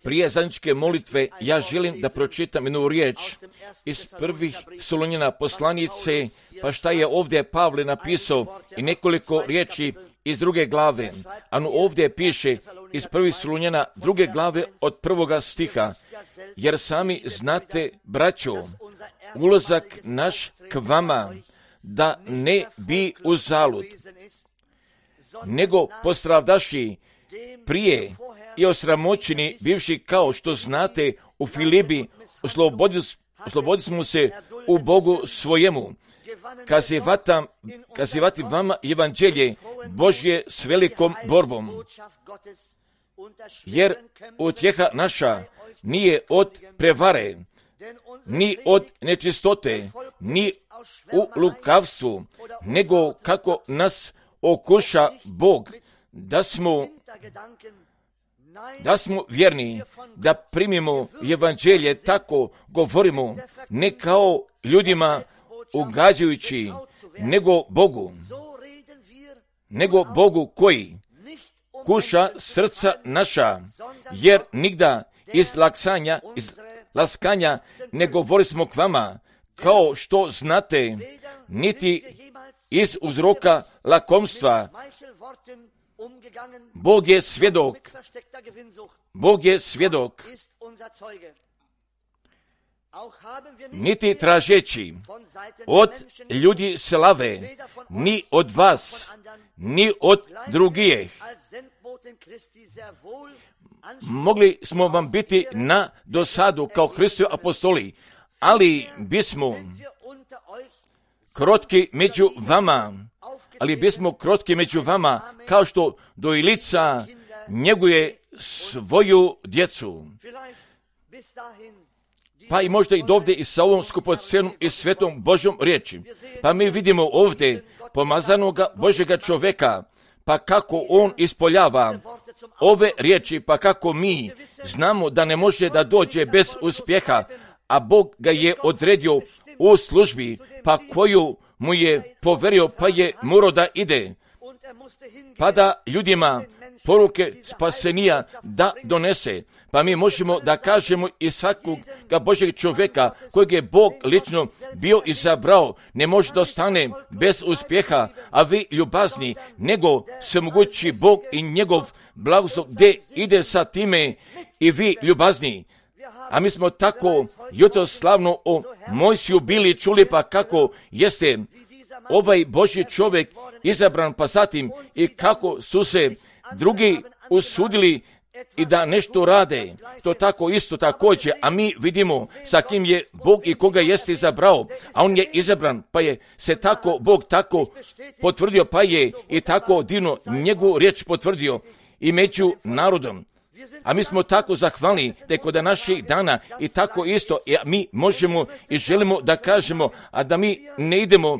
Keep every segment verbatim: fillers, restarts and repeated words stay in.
Prije zajedničke molitve ja želim da pročitam jednu riječ iz prvih Solunjana poslanice, pa šta je ovdje Pavle napisao i nekoliko riječi iz druge glave. Ano ovdje piše iz prvih Solunjana druge glave od prvoga stiha. Jer sami znate, braćo, ulazak naš k vama da ne bi uzalud, nego postradavši prije i osramoćeni bivši, kao što znate, u Filipi oslobodili, oslobodili smo se u Bogu svojemu, kazivatam, kazivati vama evanđelje Božje s velikom borbom. Jer utjeha naša nije od prevare, ni od nečistote, ni u lukavstvu, nego kako nas okuša Bog, da smo, da smo vjerni, da primimo evanđelje, tako govorimo, ne kao ljudima ugađajući, nego Bogu, nego Bogu koji kuša srca naša, jer nigda iz laksanja, iz laskanja ne govorismo k vama, kao što znate, niti iz uzroka lakomstva. Bog je svjedok, Bog je svjedok, niti tražeći od ljudi slave, ni od vas, ni od drugih. Mogli smo vam biti na dosadu kao Hristovi apostoli, ali bismo krotki među vama, ali bismo krotki među vama, kao što dojilica njeguje svoju djecu. Pa i možda i dovde i sa ovom skupocenom i svetom Božjom riječi. Pa mi vidimo ovdje pomazanoga Božjega čovjeka, pa kako on ispoljava ove riječi, pa kako mi znamo da ne može da dođe bez uspjeha, a Bog ga je odredio u službi, pa koju mu je poverio, pa je morao da ide, pa da ljudima poruke spasenija da donese. Pa mi možemo da kažemo i svakog Božjeg čovjeka kojeg je Bog lično bio izabrao, ne može da ostane bez uspjeha, a vi ljubazni, nego se mogući Bog i njegov blagoslov gdje ide sa time i vi ljubazni. A mi smo tako jutro slavno o Mojsiju bili čuli, pa kako jeste ovaj Božji čovjek izabran, pa zatim i kako su se drugi usudili i da nešto rade. To tako isto također, a mi vidimo sa kim je Bog i koga jeste izabrao, a on je izabran, pa je se tako Bog tako potvrdio, pa je i tako divno njegovu riječ potvrdio i među narodom. A mi smo tako zahvalni da je kod naših dana i tako isto, i mi možemo i želimo da kažemo, a da mi ne idemo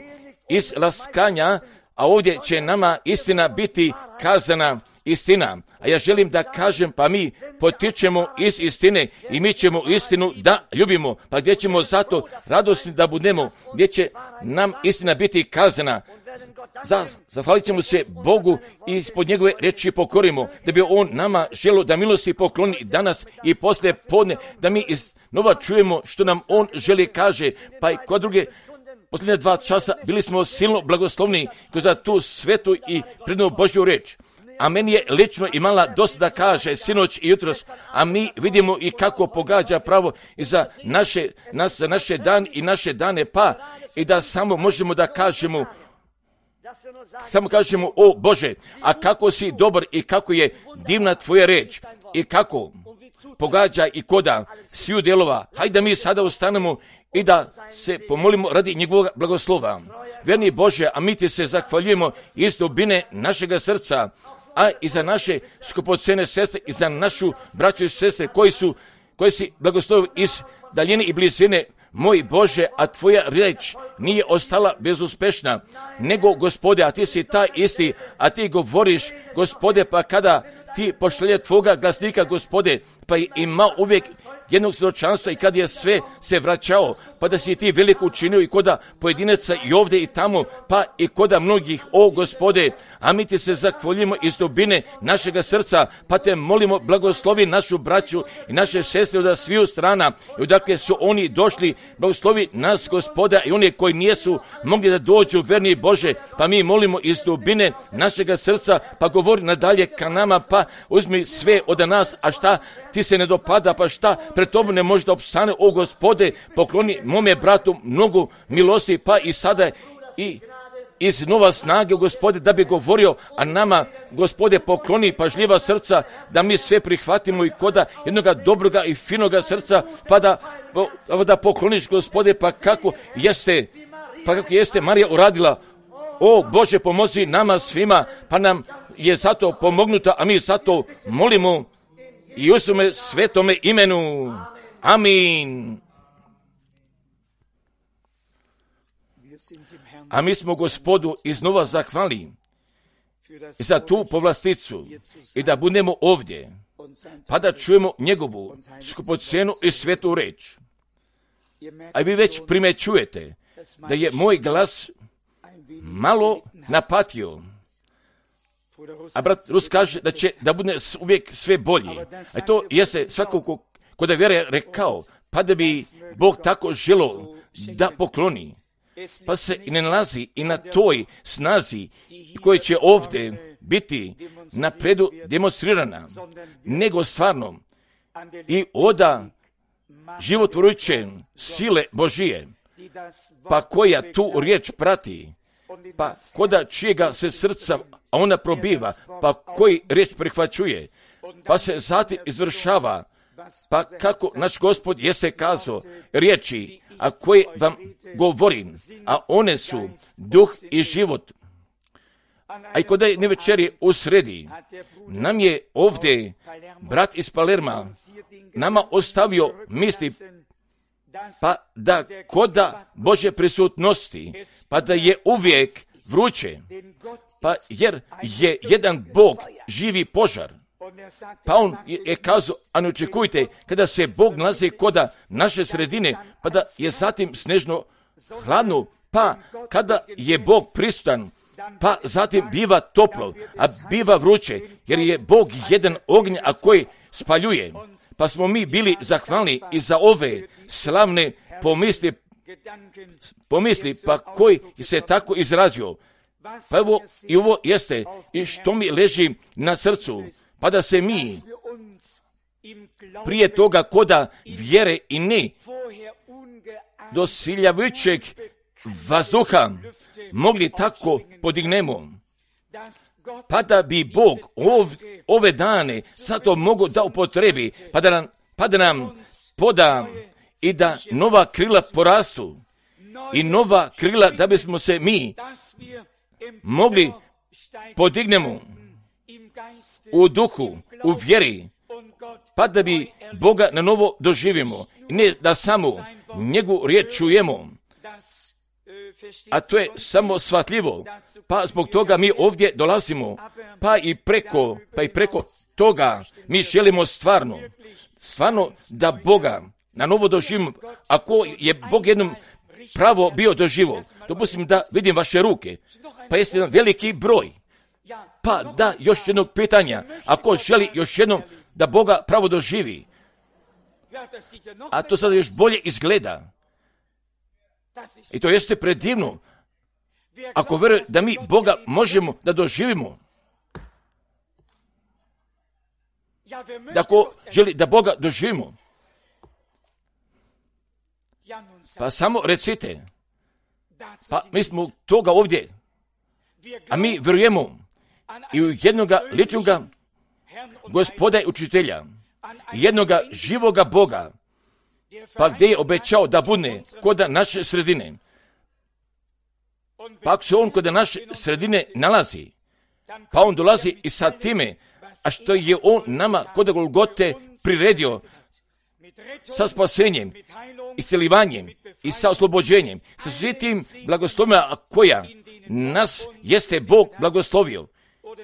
iz laskanja, a ovdje će nama istina biti kazana istina. A ja želim da kažem, pa mi potičemo iz istine i mi ćemo istinu da ljubimo, pa gdje ćemo zato radosni da budemo, gdje će nam istina biti kazana. Zahvalit ćemo se Bogu i ispod njegove riječi pokorimo, da bi on nama želio da milosti pokloni danas i poslije podne, da mi iznova čujemo što nam on želi kaže, pa i kod druge posljednje dva časa bili smo silno blagoslovni kroz tu svetu i prednu Božju riječ. A meni je lično imala dosta da kaže sinoć i jutros, a mi vidimo i kako pogađa pravo i za naše, nas, za naše dan i naše dane, pa i da samo možemo da kažemo, samo kažemo, o Bože, a kako si dobar i kako je divna tvoja riječ i kako pogađa i koda sviju dijelova. Hajde mi sada ustanemo i da se pomolimo radi njegovog blagoslova. Vjerni Bože, a mi ti se zahvaljujemo iz dubine našega srca, a i za naše skupocene sestre i za našu braću i sestre koji su, koji si blagoslovili iz daljine i blizine. Moj Bože, a tvoja riječ nije ostala bezuspešna, nego Gospode, a ti si taj isti, a ti govoriš, Gospode, pa kada ti pošalje tvoga glasnika, Gospode, pa je imao uvijek jednog svjedočanstva i kad je sve se vraćao, pa da si ti veliko učinio i koda pojedinaca i ovdje i tamo, pa i koda mnogih, o Gospode, a mi ti se zahvaljujemo iz dubine našega srca, pa te molimo, blagoslovi našu braću i naše sestre od sviju strana, i odakle su oni došli, blagoslovi nas, Gospoda, i oni koji nijesu mogli da dođu, verni Bože, pa mi molimo iz dubine našega srca, pa govori nadalje ka nama, pa uzmi sve od nas, a šta ti se ne dopada, pa šta pred tobom ne može da opstane, o Gospode, pokloni mome bratu mnogo milosti, pa i sada i iz nova snage, Gospode, da bi govorio, a nama, Gospode, pokloni pažljiva srca, da mi sve prihvatimo i koda jednoga dobroga i finoga srca, pa da, da pokloniš, Gospode, pa kako jeste, pa kako jeste Marija uradila. O Bože, pomozi nama svima, pa nam je zato pomognuta, a mi zato molimo i u svome svetome imenu. Amin. A mi smo Gospodu iznova zahvali za tu povlasticu i da budemo ovdje, pa da čujemo njegovu skupocjenu i svetu reč. A vi već primećujete da je moj glas malo napatio. A brat Rus kaže da će da bude uvijek sve bolji. A to jeste svakako kod je vjere rekao, pa da bi Bog tako želo da pokloni. Pa se i ne nalazi i na toj snazi koji će ovdje biti napredu demonstrirana, nego stvarno i oda životvorujuće sile Božije, pa koja tu riječ prati, pa koda čijega se srca ona probiva, pa koji riječ prihvaćuje, pa se zatim izvršava, pa kako naš Gospod jeste kazao riječi, a koje vam govorim, a one su duh i život. A i kod je nevečeri u sredi, nam je ovdje brat iz Palerma nama ostavio misli, pa da koda Božje prisutnosti, pa da je uvijek vruće, pa jer je jedan Bog živi požar. Pa on je kazao, a ne očekujte, kada se Bog nalazi koda naše sredine, pa da je zatim snežno hladno, pa kada je Bog prisutan, pa zatim biva toplo, a biva vruće, jer je Bog jedan ognj, a koji spaljuje. Pa smo mi bili zahvalni i za ove slavne pomisli, pomisli pa koji se tako izrazio. Pa evo, i ovo jeste i što mi leži na srcu, pa da se mi prije toga koda vjere i ne dosiljavajućeg vazduha mogli tako podignemo, pa da bi Bog ov, ove dane zato mogo da upotrebi, pa da nam, pa da nam poda i da nova krila porastu i nova krila da bismo se mi mogli podignemo u duhu, u vjeri, pa da bi Boga na novo doživimo. I ne da samo njegovu riječ čujemo, a to je samo shvatljivo, pa zbog toga mi ovdje dolazimo, pa i preko, pa i preko toga mi želimo stvarno, stvarno da Boga na novo doživimo. Ako je Bog jednom pravo bio doživo, dopustim da vidim vaše ruke, pa jeste jedan veliki broj. Pa da, još jednog pitanja, ako želi još jednom da Boga pravo doživi, a to sada još bolje izgleda, i to jeste predivno, ako vjeruje da mi Boga možemo da doživimo, da ako želi da Boga doživimo, pa samo recite, pa mi smo toga ovdje, a mi vjerujemo i u jednoga ličnoga Gospoda i učitelja, jednoga živoga Boga, pa gdje je obećao da bude koda naše sredine. Pa ako se on koda naše sredine nalazi, pa on dolazi i sa time, a što je on nama koda Golgote priredio sa spasenjem, iscelivanjem i sa oslobođenjem, sa svim tim blagoslovima koja nas jeste Bog blagoslovio.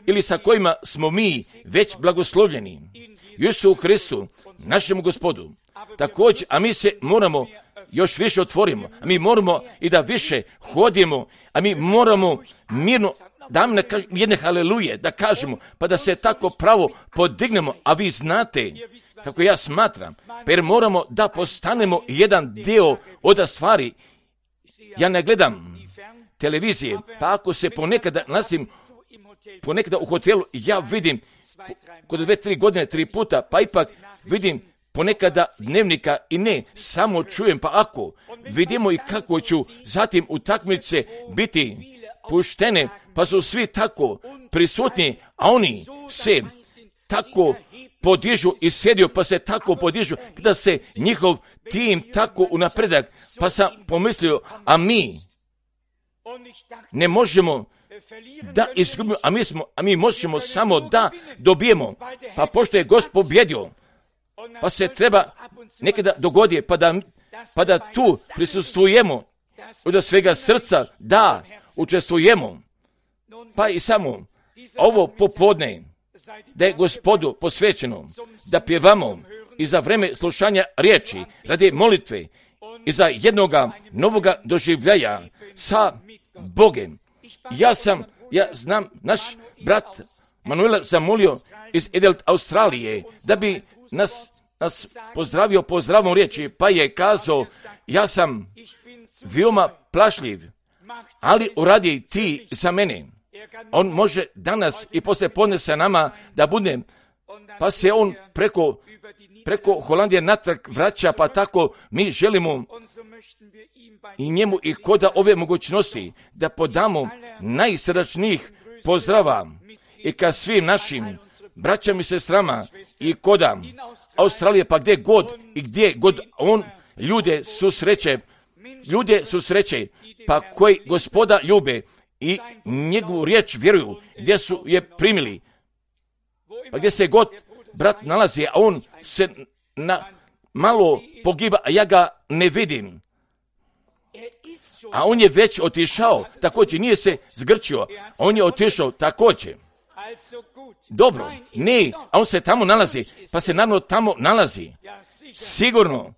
ili sa kojima smo mi već blagoslovljeni. Isu u Hristu, našemu Gospodu. Također, a mi se moramo još više otvorimo, a mi moramo i da više hodimo, a mi moramo mirno da nam jedne haleluje, da kažemo, pa da se tako pravo podignemo, a vi znate kako ja smatram, pa jer moramo da postanemo jedan dio od stvari. Ja ne gledam televizije, pa ako se ponekada nalazim ponekada u hotelu, ja vidim kod dve, tri godine, tri puta, pa ipak vidim ponekada dnevnika i ne, samo čujem, pa ako vidimo i kako ću zatim utakmice biti puštene, pa su svi tako prisutni, a oni se tako podižu i sjedio, pa se tako podižu, kada se njihov tim tako u napredak, pa sam pomislio, a mi ne možemo da izgubimo, a mi, smo, a mi možemo samo da dobijemo, pa pošto je Gospod pobjedio, pa se treba nekada dogodi, pa da, pa da tu prisustvujemo od svega srca, da učestvujemo, pa i samo ovo popodne, da je Gospodu posvećeno, da pjevamo i za vreme slušanja riječi, radi molitve i za jednoga novoga doživljaja sa Bogem. Ja sam, ja znam, naš brat Manuela zamolio iz Adelaide, Australije, da bi nas, nas pozdravio pozdravom riječi, pa je kazao, ja sam veoma plašljiv, ali uradi ti za mene. On može danas i poslije podne sa nama da bude, pa se on preko, preko Holandije natrag vraća, pa tako mi želimo i njemu i koda ove mogućnosti da podamo najsrdačnijih pozdrava i ka svim našim braćama i sestrama i koda Australije, pa gdje god i gdje god on ljude susreće, ljude susreće, pa koji Gospoda ljube i njegovu riječ vjeruju, gdje su je primili, pa gdje se god brat nalazi, a on se na malo pogiba, a ja ga ne vidim. A on je već otišao, također nije se zgrčio, on je otišao također. Dobro, ne, a on se tamo nalazi, pa se naravno tamo nalazi. Sigurno.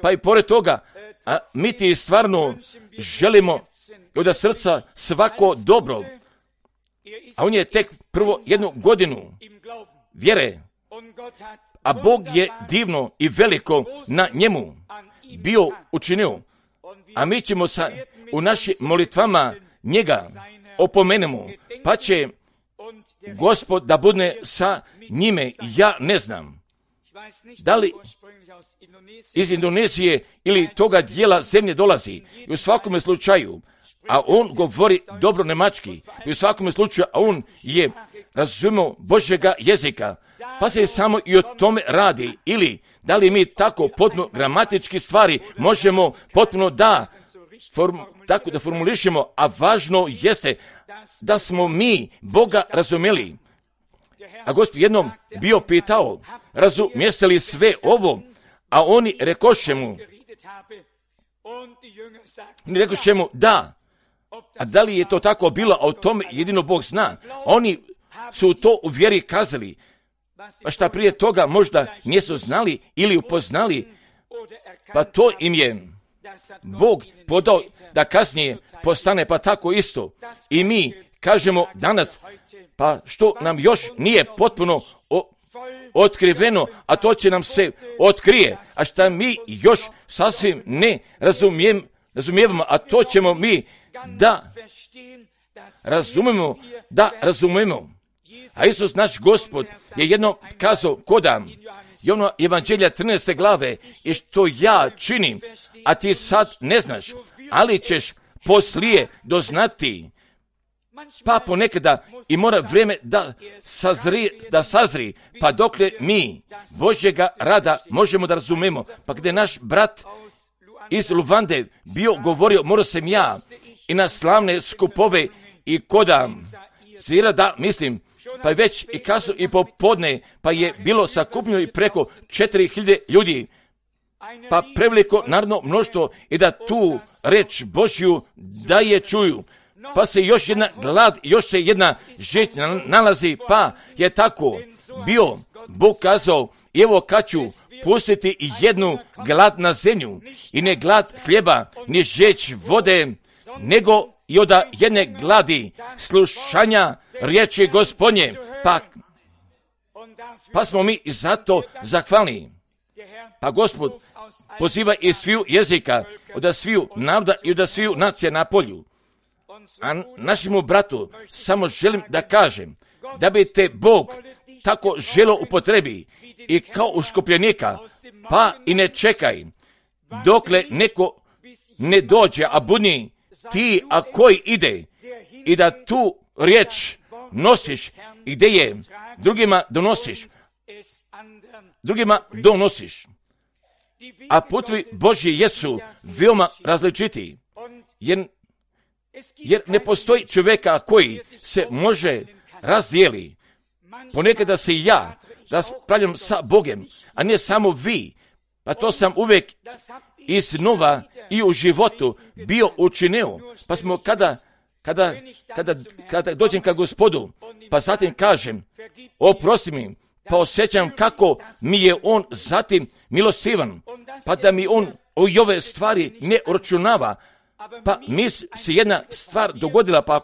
Pa i pored toga, a mi ti stvarno želimo od srca svako dobro. A on je tek prvo jednu godinu vjere, a Bog je divno i veliko na njemu bio učinio. A mi ćemo sa, u našim molitvama njega opomenemo, pa će Gospod da bude sa njime. Ja ne znam da li iz Indonezije ili toga dijela zemlje dolazi. I u svakome slučaju, a on govori dobro nemački, i u svakome slučaju, a on je razumio Božjega jezika, pa se samo i o tome radi. Ili da li mi tako potpuno gramatički stvari možemo potpuno da form, tako da formulišemo, a važno jeste da smo mi Boga razumjeli. A Gospod jednom bio pitao, razumijeste li sve ovo? A oni rekoše mu, oni rekoše mu, da. A da li je to tako bilo, a o tome jedino Bog zna. Oni su to u vjeri kazali, pa šta prije toga možda nisu znali ili upoznali, pa to im je Bog podao da kasnije postane, pa tako isto. I mi kažemo danas, pa što nam još nije potpuno o, otkriveno, a to će nam se otkrije, a šta mi još sasvim ne razumijem, razumijevamo, a to ćemo mi da razumemo, da razumemo. A Isus naš Gospod je jedno kazao koda i ono Evanđelja trinaeste glave, i što ja činim, a ti sad ne znaš, ali ćeš poslije doznati. Pa ponekada i mora vrijeme da sazri, da sazri, pa dokle mi Božjega rada možemo da razumemo. Pa gdje naš brat iz Luvande bio govorio, morao sam ja i na slavne skupove i koda svira da mislim, pa je već i kasno i popodne, pa je bilo sakupljeno i preko četiri hiljade ljudi, pa preveliko narodno mnoštvo i da tu reč Božju da je čuju. pa se još jedna glad, još se jedna žeć nalazi, pa je tako bio Bog kazao, evo kad ću pustiti jednu glad na zemlju, i ne glad hljeba, ni žeć vode, nego i od jedne gladi slušanja riječi Gospodnje, pa, pa smo mi zato zahvalni. Pa Gospod poziva iz sviju jezika, od sviju naroda i od sviju nacija na polju. A našemu bratu samo želim da kažem, da bi te Bog tako želo upotrebi i kao uškopljenika, pa i ne čekaj, dokle neko ne dođe, a budi ti, a koji ide, i da tu riječ nosiš i gdje je drugima donosiš, drugima donosiš. A putovi Božji jesu veoma različiti, jer, jer ne postoji čovjeka koji se može razdijeli. Ponekada se i ja raspravljam sa Bogom, a ne samo vi. Pa to sam uvijek iznova i u životu bio učinio. Pa smo kada, kada, kada, kada dođem ka Gospodu, pa zatim kažem, oprosti mi, pa osjećam kako mi je on zatim milostivan, pa da mi on o ove stvari ne uračunava. Pa mi se jedna stvar dogodila, pa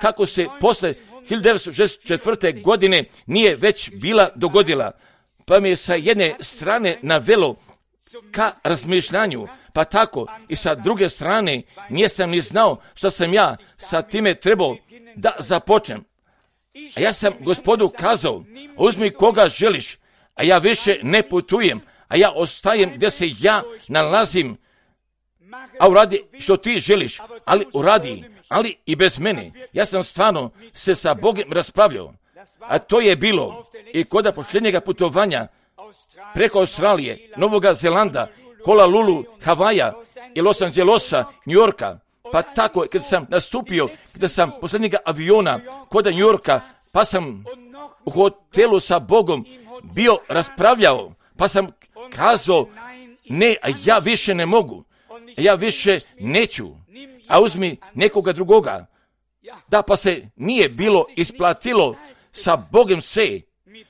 kako se posle hiljadu devetsto šezdeset četvrte. godine nije već bila dogodila, pa mi je sa jedne strane navelo ka razmišljanju, pa tako i sa druge strane nisam ni znao što sam ja sa time trebao da započnem. A ja sam Gospodu kazao, uzmi koga želiš, a ja više ne putujem, a ja ostajem gdje se ja nalazim, a uradi što ti želiš, ali uradi, ali i bez mene. Ja sam stvarno se sa Bogom raspravljao, a to je bilo i kod posljednjega putovanja preko Australije, Novoga Zelanda, Honolulu, Havaja i Los Angelesa, New Yorka. Pa tako, kad sam nastupio, kada sam posljednjega aviona kod New Yorka, pa sam u hotelu sa Bogom bio raspravljao, pa sam kazao, ne, a ja više ne mogu, a ja više neću, a uzmi nekoga drugoga. Da, pa se nije bilo isplatilo sa Bogom se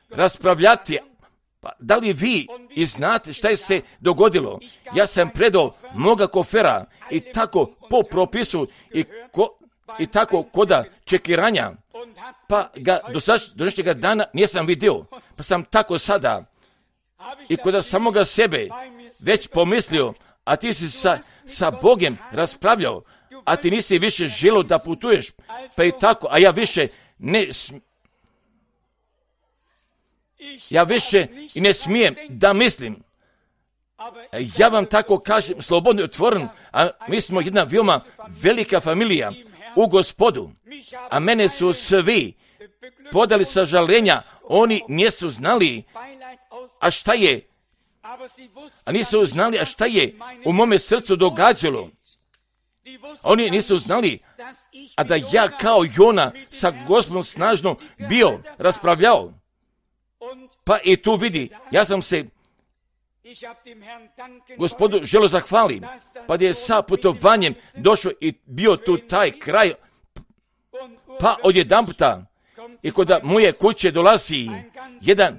raspravljati. Pa da li vi i znate šta je se dogodilo? Ja sam predao moga kofera i tako po propisu i, ko, i tako koda čekiranja, pa ga do današnjega dana nisam vidio. Pa sam tako sada i kod samoga sebe već pomislio, a ti si sa, sa Bogom raspravljao, a ti nisi više želio da putuješ, pa i tako, a ja više ne sm... ja više i ne smijem da mislim. Ja vam tako kažem, slobodno i otvoren, a mi smo jedna veoma velika familija u Gospodu, a mene su svi podali sažalenja, oni nisu znali, a šta je, a nisu znali, a šta je u mome srcu događalo. Oni nisu znali, a da ja kao Jona sa Gospodom snažno bio raspravljao. Pa i tu vidi, ja sam se Gospodu želio zahvalim, pa da je sa putovanjem došao i bio tu taj kraj, pa odjedanputa i kod moje kuće dolazi jedan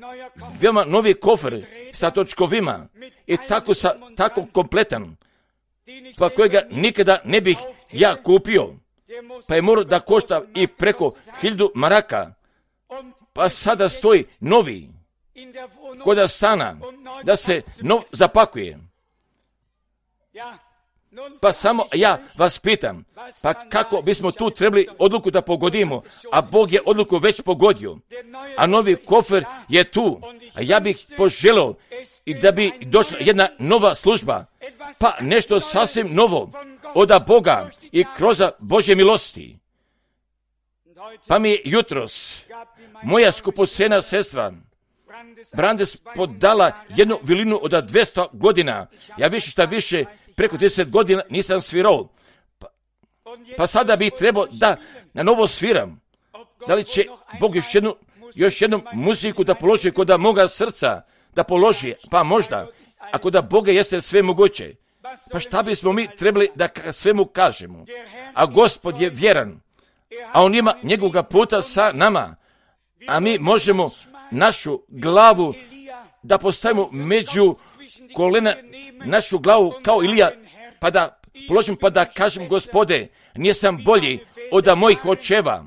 veoma novi kofer sa točkovima i tako, sa, tako kompletan, pa kojega nikada ne bih ja kupio, pa je morao da košta i preko hiljadu maraka, pa sada stoji novi koda stana, da se nov zapakuje. Pa samo ja vas pitam, pa kako bismo tu trebali odluku da pogodimo, a Bog je odluku već pogodio, a novi kofer je tu, a ja bih poželio i da bi došla jedna nova služba, pa nešto sasvim novo od Boga i kroz Božje milosti. Pa mi je jutros moja skupocena sestra Brandes podala jednu vilinu od dvjesto godina. Ja više šta više, preko trideset godina nisam svirao. Pa, pa sada bih trebao da na novo sviram. Da li će Bog još jednu, još jednu muziku da položi kod moga srca, da položi, pa možda, a kod Boga jeste sve moguće. Pa šta bismo mi trebali da svemu kažemo? A Gospod je vjeran a on ima njegovoga puta sa nama, a mi možemo našu glavu da postavimo među kolena, našu glavu kao Ilija, pa da položim, pa da kažem, Gospode, nisam bolji od mojih očeva,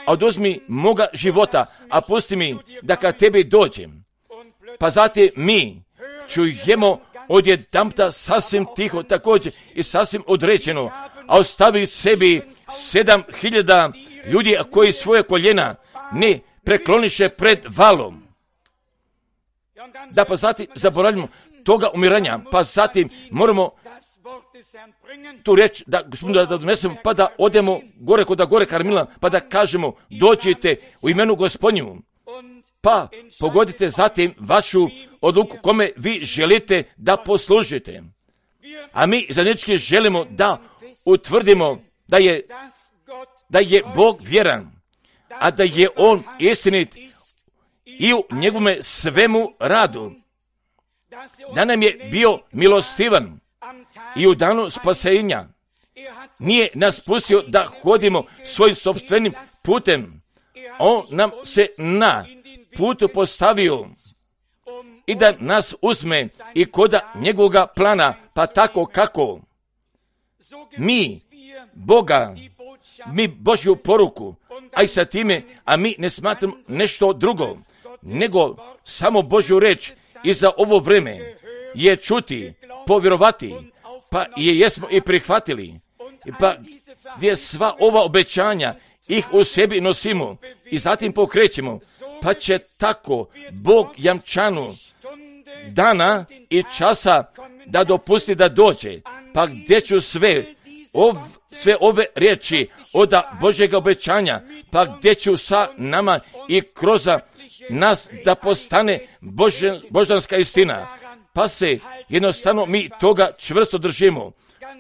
a oduzmi moga života, a pusti mi da ka tebi dođem. Pa zatim mi čujemo odjedanputa sasvim tiho također i sasvim određeno, a ostavi sebi sedam hiljada ljudi koji svoje koljena ne prekloniše pred valom. Da, pa zatim zaboravljamo toga umiranja, pa zatim moramo tu reći da, da, da donesemo, pa da odemo gore kod gore Karmila, pa da kažemo, dođite u imenu Gospodnju, pa pogodite zatim vašu odluku kome vi želite da poslužite. A mi zajednički želimo da utvrdimo da je, da je Bog vjeran, a da je On istinit i u njegovome svemu radu, da nam je bio milostivan i u danu spasenja nije nas pustio da hodimo svojim sopstvenim putem. On nam se na putu postavio i da nas uzme i koda njegovoga plana, pa tako kako mi Boga, mi Božju poruku, a i sa time, a mi ne smatramo nešto drugo, nego samo Božju reč i za ovo vreme je čuti, povjerovati, pa je jesmo i prihvatili, pa gdje sva ova obećanja ih u sebi nosimo i zatim pokrećemo, pa će tako Bog jamčanu dana i časa da dopusti da dođe, pa gdje ću sve, ov, sve ove riječi od Božjega obećanja, pa gdje ću sa nama i kroz nas da postane Božan, božanska istina, pa se jednostavno mi toga čvrsto držimo.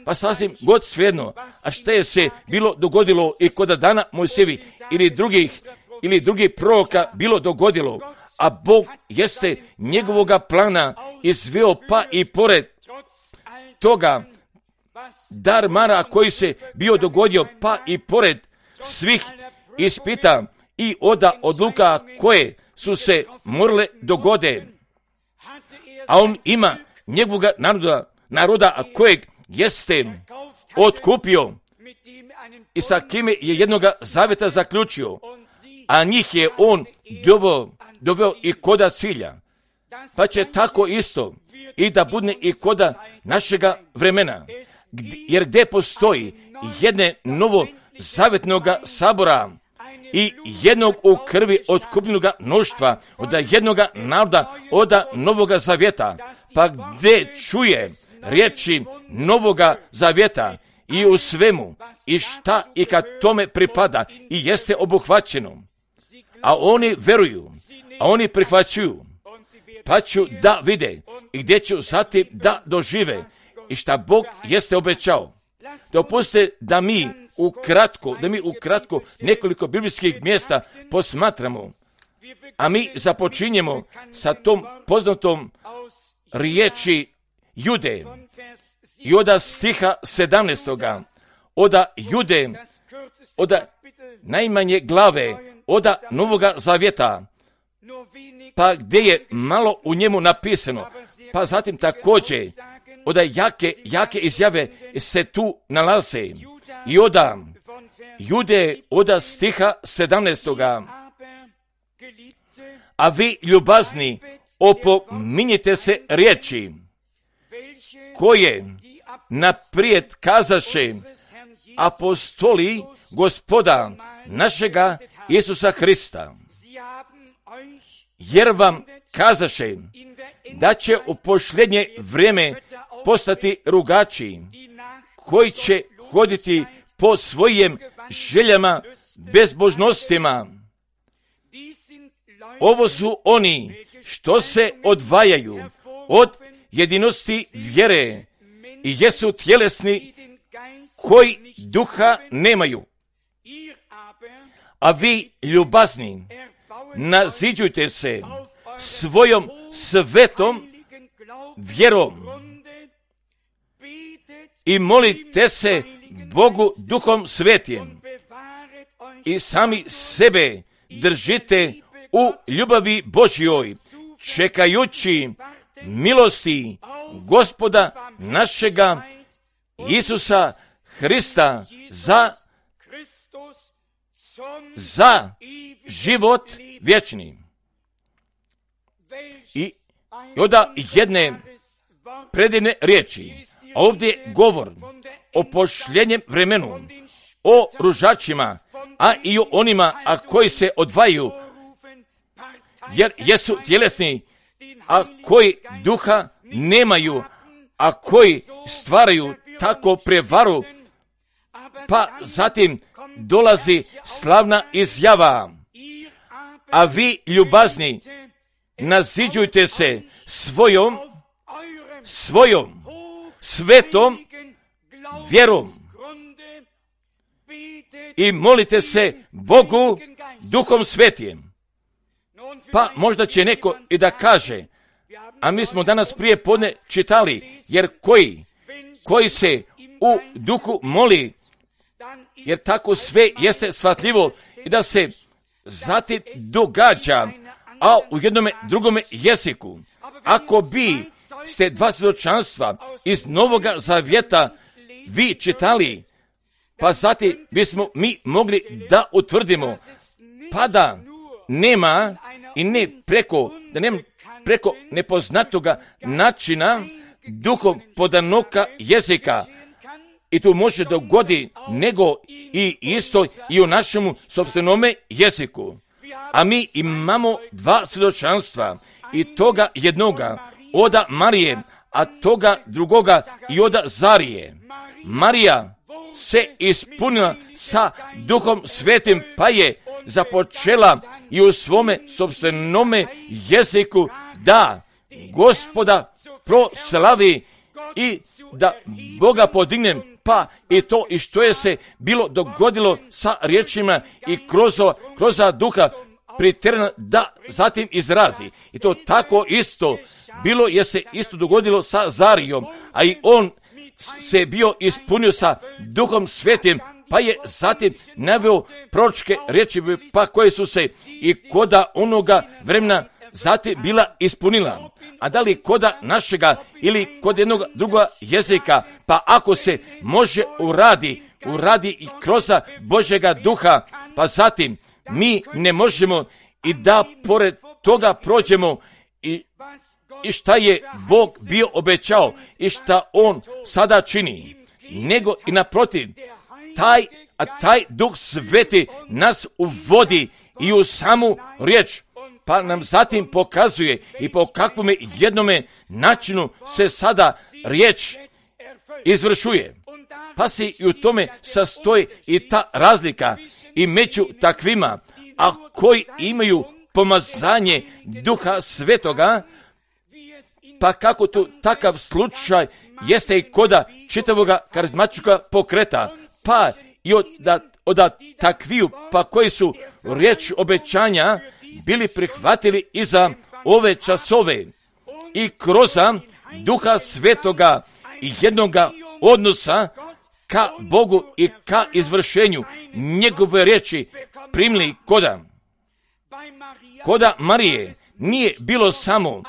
Pa sasvim god svejedno, a što je se bilo dogodilo i kod dana Mojsijevi ili drugih, ili drugih proroka bilo dogodilo, a Bog jeste njegovoga plana izveo pa i pored toga dar mara koji se bio dogodio, pa i pored svih ispita i oda odluka koje su se morale dogode. A on ima njegovoga naroda, naroda kojeg jeste otkupio i sa kime je jednoga zaveta zaključio, a njih je on doveo, doveo i koda cilja. Pa će tako isto i da bude i koda našega vremena, jer gdje postoji jedne novo zavetnoga sabora i jednog u krvi otkupljenoga mnoštva, od jednoga naroda, od novoga zavjeta, pa gdje čuje riječi novoga zavjeta i u svemu i šta i kad tome pripada i jeste obuhvaćeno, a oni veruju, a oni prihvaćuju, pa ću da vide i gdje ću zatim da dožive i šta Bog jeste obećao. Dopustite da mi ukratko, da mi ukratko nekoliko biblijskih mjesta posmatramo, a mi započinjemo sa tom poznatom riječi Jude i oda stiha sedamnaestoga, oda Jude, oda najmanje glave, oda Novoga Zavjeta, pa gdje je malo u njemu napisano, pa zatim također oda jake, jake izjave se tu nalaze i oda Jude, oda stiha sedamnaestoga. A vi, ljubazni, opominjite se riječi koje naprijed kazaše apostoli Gospoda našega Isusa Hrista, jer vam kazaše da će u posljednje vrijeme postati rugači, koji će hoditi po svojim željama, bezbožnostima. Ovo su oni što se odvajaju od jedinosti vjere i jesu tjelesni, koji duha nemaju. A vi, ljubazni, naziđujte se svojom svetom vjerom i molite se Bogu duhom svetim, i sami sebe držite u ljubavi Božjoj, čekajući milosti Gospoda našega Isusa Hrista za, za život vječni. I onda jedne predivne riječi. Ovdje govor o pošljenjem vremenu, o ružačima, a i o onima a koji se odvajaju, jer jesu tjelesni, a koji duha nemaju, a koji stvaraju tako prevaru, pa zatim dolazi slavna izjava. A vi, ljubazni, naziđujte se svojom, svojom svetom vjerom i molite se Bogu Duhom Svetijem. Pa možda će neko i da kaže, a mi smo danas prije podne čitali, jer koji, koji se u duhu moli, jer tako sve jeste shvatljivo i da se zatim događa, a u jednome drugome jeziku. Ako bi ste dva svjedočanstva iz Novoga Zavjeta vi čitali, pa zatim bismo mi mogli da utvrdimo, pa da nema i ne preko, da nema preko nepoznatoga načina duhom podanoka jezika. I tu može dogodi nego i isto i u našemu sopstvenome jeziku. A mi imamo dva svjedočanstva i toga jednoga oda Marije, a toga drugoga i oda Zarije. Marija se ispunila sa Duhom Svetim, pa je započela i u svome sopstvenome jeziku da Gospoda proslavi i da Boga podignem, pa i to i što je se bilo dogodilo sa riječima i kroz, kroz duha priterana da zatim izrazi. I to tako isto bilo je se isto dogodilo sa Zarijom, a i on se bio ispunio sa Duhom Svetim, pa je zatim naveo proročke riječi, pa koje su se i koda onoga vremena zatim bila ispunila. A da li koda našega ili kod jednog druga jezika, pa ako se može uradi, uradi i kroz Božjega duha, pa zatim mi ne možemo i da pored toga prođemo i, i šta je Bog bio obećao i šta On sada čini, nego i naprotiv, taj, a taj Duh Sveti nas uvodi i u samu riječ, pa nam zatim pokazuje i po kakvom jednome načinu se sada riječ izvršuje. Pa se i u tome sastoji i ta razlika i među takvima, a koji imaju pomazanje Duha Svetoga, pa kako tu takav slučaj jeste i koda čitavoga karizmatička pokreta, pa i od, da, od takviju, pa koji su riječ obećanja bili prihvatili i za ove časove i kroz Duha Svetoga i jednoga odnosa ka Bogu i ka izvršenju njegove riječi primili koda. Koda Marije nije bilo samo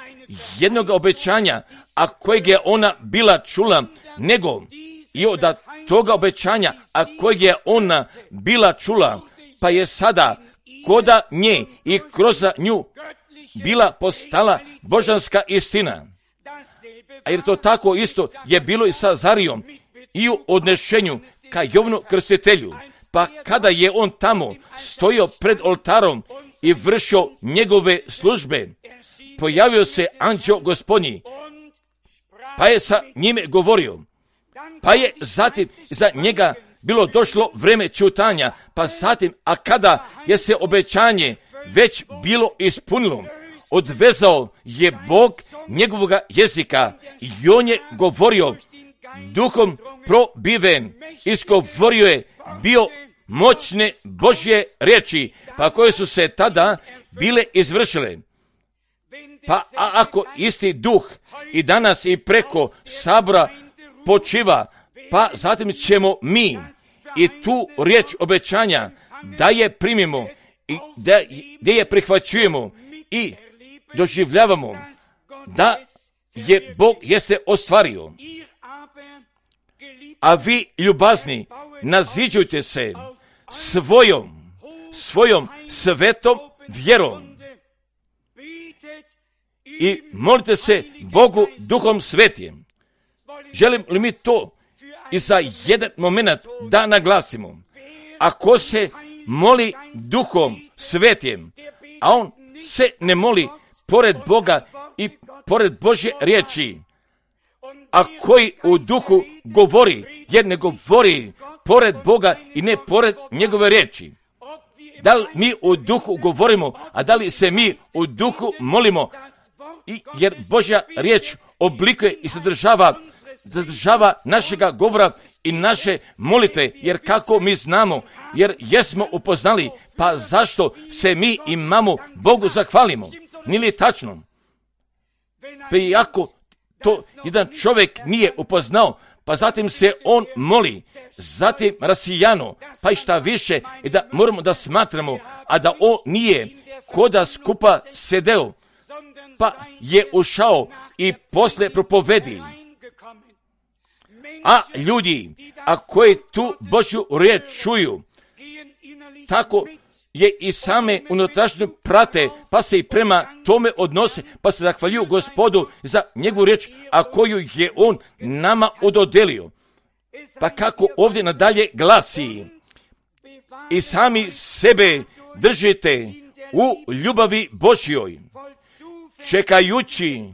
jednog obećanja, a kojeg je ona bila čula, nego i od toga obećanja, a kojeg je ona bila čula, pa je sada koda nje i kroz nju bila postala božanska istina. A jer to tako isto je bilo i sa Zarijom i u odnešenju ka Jovanu Krstitelju. Pa kada je on tamo stojio pred oltarom i vršio njegove službe, pojavio se anđeo Gospodnji, pa je sa njime govorio, pa je zatim za njega bilo došlo vreme ćutanja, pa zatim, a kada je se obećanje već bilo ispunilo, odvezao je Bog njegovoga jezika i on je govorio duhom probiven, izgovorio je bio moćne Božje riječi, pa koje su se tada bile izvršile. Pa a ako isti duh i danas i preko sabora počiva, pa zatim ćemo mi i tu riječ obećanja da je primimo i da, da je prihvaćujemo i doživljavamo da je Bog jeste ostvario. A vi, ljubazni, naziđujte se svojom, svojom svetom vjerom i molite se Bogu Duhom Svetim. Želim li mi to i za jedan moment da naglasimo? Ako se moli Duhom Svetim, a on se ne moli pored Boga i pored Božje riječi, a koji u duhu govori, jer ne govori pored Boga i ne pored njegove riječi. Da li mi u duhu govorimo, a da li se mi u duhu molimo, I, jer Božja riječ oblikuje i sadržava, sadržava našega govora i naše molitve, jer kako mi znamo, jer jesmo upoznali, pa zašto se mi imamo Bogu zahvalimo? Nije li tačno? Pa iako to jedan čovjek nije upoznao, pa zatim se on moli, zatim rasijano, pa i šta više, i da moramo da smatramo, a da on nije koda skupa sedeo, pa je ušao i posle propovedi. A ljudi, a koji tu Božju riječ čuju, tako je i same unutrašnje prate, pa se i prema tome odnose, pa se zahvaljuju Gospodu za njegovu riječ, a koju je on nama ododelio. Pa kako ovdje nadalje glasi, i sami sebe držite u ljubavi Božjoj, čekajući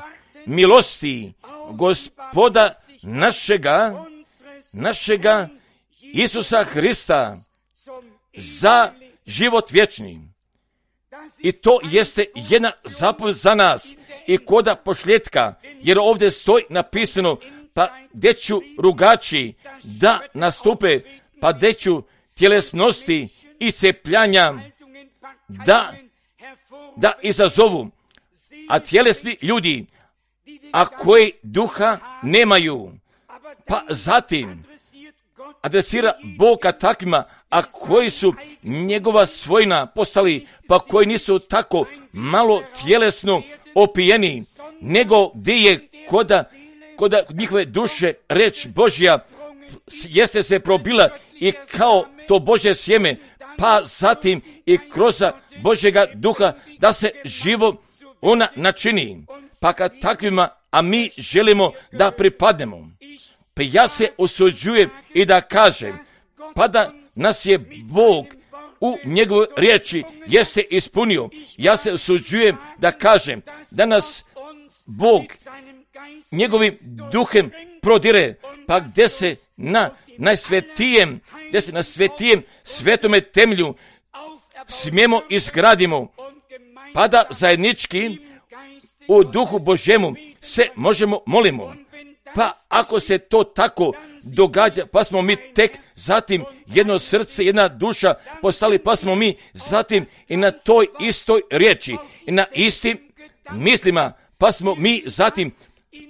milosti Gospoda našega, našega Isusa Hrista za život vječni. I to jeste jedna zapovjed za nas i koda pošljetka, jer ovdje stoji napisano, pa gdje ću rugači da nastupe, pa gdje ću tjelesnosti i cepljanja da, da izazovu, a tjelesni ljudi, a koji duha nemaju, pa zatim adresira Boga takvima, a koji su njegova svojina postali, pa koji nisu tako malo tjelesno opijeni, nego gdje je koda, koda njihove duše reč Božja jeste se probila i kao to Božje sjeme, pa zatim i kroz Božjega duha da se živo ona načini. Pa kad takvima, a mi želimo da pripadnemo, pa ja se usuđujem i da kažem, pa da nas je Bog u njegovoj riječi jeste ispunio. Ja se usuđujem da kažem da nas Bog njegovim duhem prodire, pa gdje se na najsvetijem, gdje se na svetijem svetome temelju smijemo izgradimo, pa da zajednički u duhu Božjemu se možemo molimo. Pa ako se to tako događa, pa smo mi tek zatim jedno srce, jedna duša postali, pa smo mi zatim i na toj istoj riječi i na istim mislima, pa smo mi zatim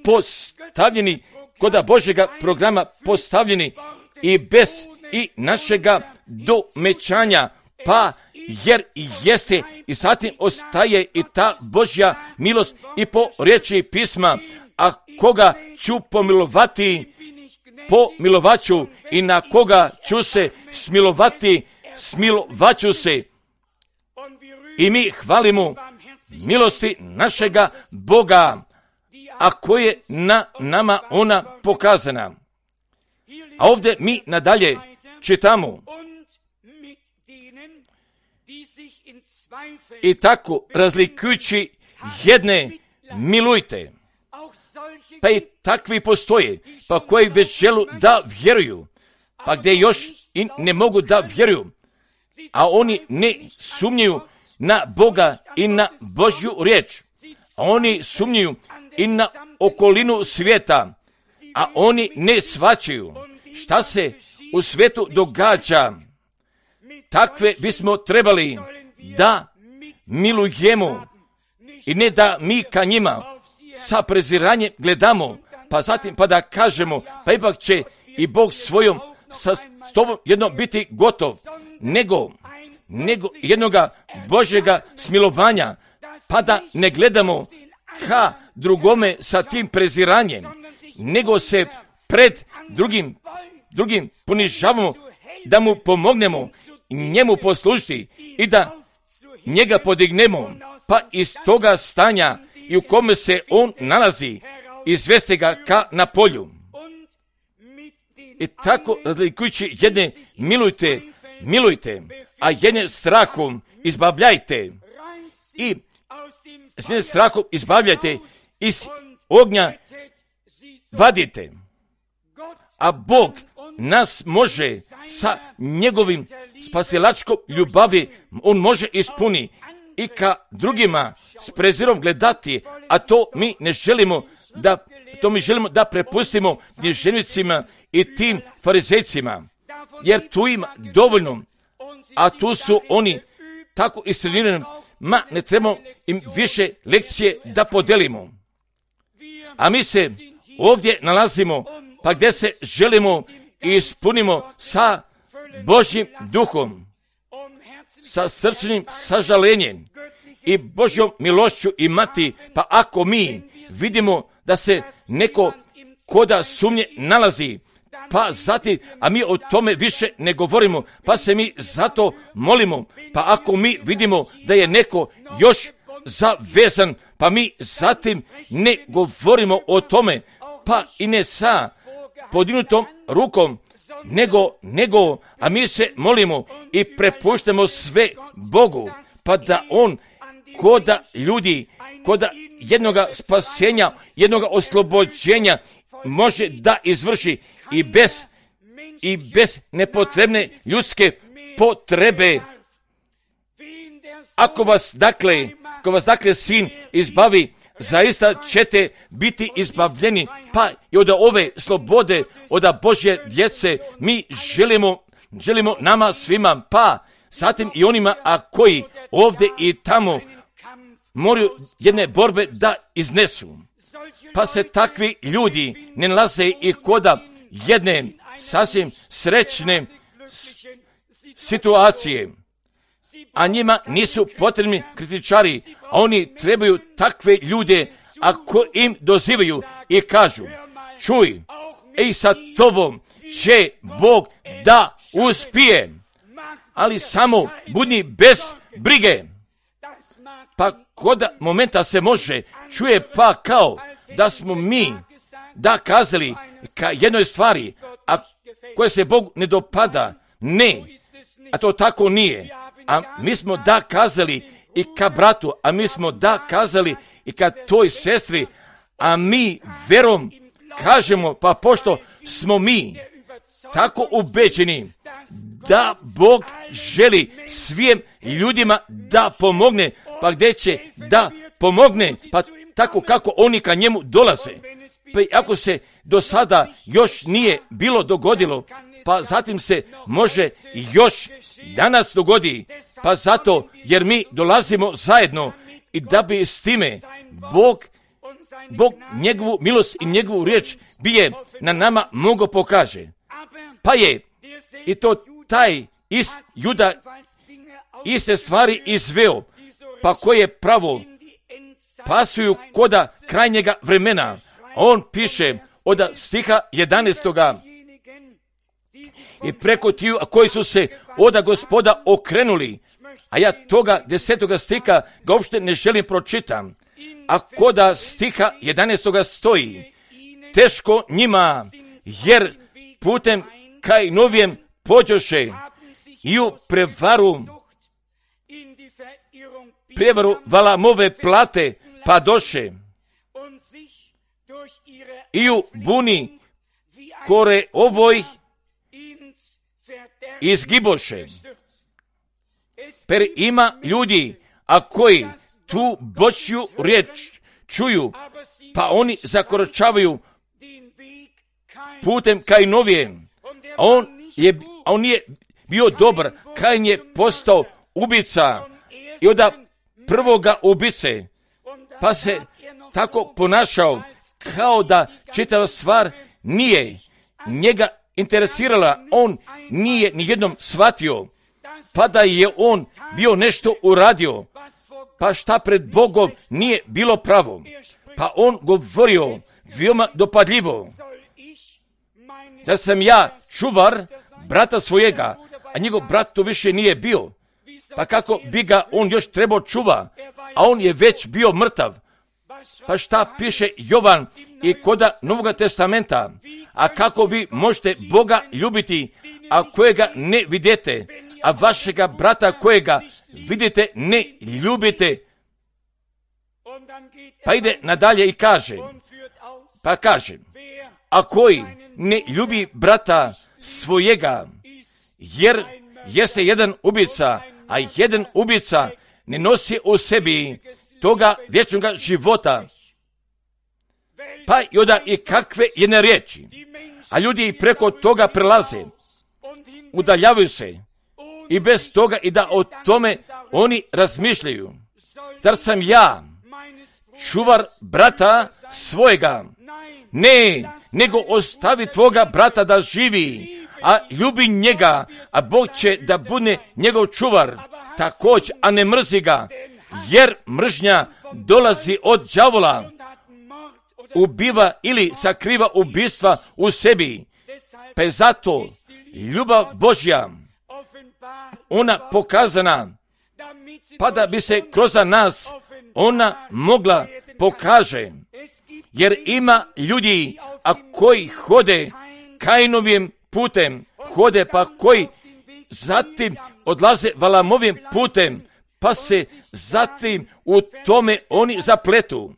postavljeni kod Božjega programa, postavljeni i bez i našega domećanja, pa jer jeste i zatim ostaje i ta Božja milost i po riječi pisma, a koga ću pomilovati, pomilovaću, i na koga ću se smilovati, smilovaću se. I mi hvalimo milosti našega Boga, a koje na nama ona pokazana. A ovdje mi nadalje čitamo, i tako razlikujući jedne milujte. Pa i takvi postoje, pa koji već želu da vjeruju, pa gdje još i ne mogu da vjeruju, a oni ne sumnjuju na Boga i na Božju riječ, a oni sumnjuju i na okolinu svijeta, a oni ne shvaćaju šta se u svijetu događa. Takve bismo trebali da milujemo i ne da mi ka njima sa preziranjem gledamo, pa zatim pa da kažemo, pa ipak će i Bog svojom sa tobom jedno biti gotov, nego nego jednoga Božjega smilovanja, pa da ne gledamo ka drugome sa tim preziranjem, nego se pred drugim, drugim ponižavamo, da mu pomognemo, njemu poslušiti i da njega podignemo, pa iz toga stanja i u kome se on nalazi, izvesti ga ka na polju. I tako razlikujući jedne milujte, milujte, a jedne strahom izbavljajte i s jedne strahom izbavljajte, iz ognja vadite. A Bog nas može sa njegovim spasilačkom ljubavi, on može ispuni i ka drugima s prezirom gledati, a to mi ne želimo da, to mi želimo da prepustimo književnicima i tim farizejcima, jer tu ima dovoljno, a tu su oni tako istrenirani, ma ne trebamo im više lekcije da podelimo. A mi se ovdje nalazimo, pa gdje se želimo i ispunimo sa Božjim duhom, sa srčnim sažalenjem i Božjom milošću imati, pa ako mi vidimo da se neko koda sumnje nalazi, pa zatim, a mi o tome više ne govorimo, pa se mi zato molimo, pa ako mi vidimo da je neko još zavezan, pa mi zatim ne govorimo o tome, pa i ne sa podignutom rukom, nego, nego, a mi se molimo i prepuštamo sve Bogu, pa da on koda ljudi, koda jednoga spasenja, jednoga oslobođenja može da izvrši i bez, i bez nepotrebne ljudske potrebe. Ako vas dakle, ako vas dakle sin izbavi, zaista ćete biti izbavljeni, pa i od ove slobode, od Božje djece mi želimo, želimo nama svima, pa zatim i onima, a koji ovdje i tamo moraju jedne borbe da iznesu. Pa se takvi ljudi ne nalaze i koda jedne sasvim srećne situacije, a njima nisu potrebni kritičari, a oni trebaju takve ljude, ako im dozivaju i kažu, čuj, ej, sa tobom će Bog da uspije, ali samo budi bez brige. Pa koda momenta se može, čuje pa kao da smo mi da kazali ka jednoj stvari, a koje se Bogu ne dopada, ne, a to tako nije. A mi smo da kazali i ka bratu, a mi smo da kazali i ka toj sestri, a mi verom kažemo, pa pošto smo mi tako ubeđeni da Bog želi svim ljudima da pomogne, pa gdje će da pomogne, pa tako kako oni ka njemu dolaze. Pa ako se do sada još nije bilo dogodilo, pa zatim se može još danas dogodi, pa zato jer mi dolazimo zajedno i da bi s time Bog, Bog njegovu milost i njegovu riječ bi je na nama mnogo pokaže. Pa je i to taj ist Juda iste stvari izveo, pa koje pravo pasuju koda krajnjega vremena. On piše od stiha jedanaestoga i preko tiju koji su se od Gospoda okrenuli, a ja toga desetoga stiha ga uopšte ne želim pročitam, a koda stiha jedanaestoga stoji, teško njima, jer putem kaj novijem pođoše i u prevaru, prevaru Valamove plate pa doše i u buni kore ovoj izgiboše. Per ima ljudi, a koji tu Božju riječ čuju, pa oni zakoračavaju putem kaj novijem. A on je, a on je bio dobar, Kain je postao ubica i od prvoga ubice, pa se tako ponašao kao da čitava stvar nije njega interesirala, on nije nijednom shvatio, pa da je on bio nešto uradio, pa šta pred Bogom nije bilo pravo, pa on govorio veoma dopadljivo. Zar sam ja čuvar brata svojega, a njegov brat to više nije bio, pa kako bi ga on još trebao čuva, a on je već bio mrtav. Pa šta piše Jovan i koda Novoga testamenta, a kako vi možete Boga ljubiti, a kojega ne vidite, a vašega brata kojega vidite ne ljubite. Pa ide nadalje i kaže, pa kaže, a koji ne ljubi brata svojega, jer jeste jedan ubica, a jedan ubica ne nosi u sebi toga vječnoga života. Pa i onda i kakve jedne riječi, a ljudi i preko toga prelaze, udaljavaju se i bez toga i da o tome oni razmišljaju. Zar sam ja čuvar brata svojega? Ne, nego ostavi tvoga brata da živi, a ljubi njega, a Bog će da bude njegov čuvar također, a ne mrzi ga, jer mržnja dolazi od đavola, ubiva ili sakriva ubistva u sebi. Pa je zato ljubav Božja, ona pokazana, pa da bi se kroz nas ona mogla pokaže, jer ima ljudi, a koji hode Kainovim putem, hode pa koji zatim odlaze Valamovim putem, pa se zatim u tome oni zapletu.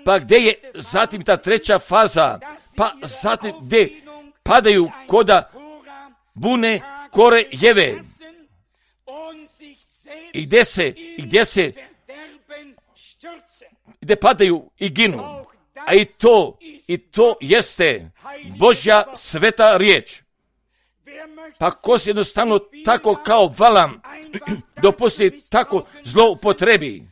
Pa gdje je zatim ta treća faza, pa zatim gdje padaju koda bune kore jeve, i gdje se, i gdje se, gdje padaju i ginu, a i to, i to jeste Božja sveta riječ. Pa ko se jednostavno tako kao Valam dopusti tako zlo upotrebi,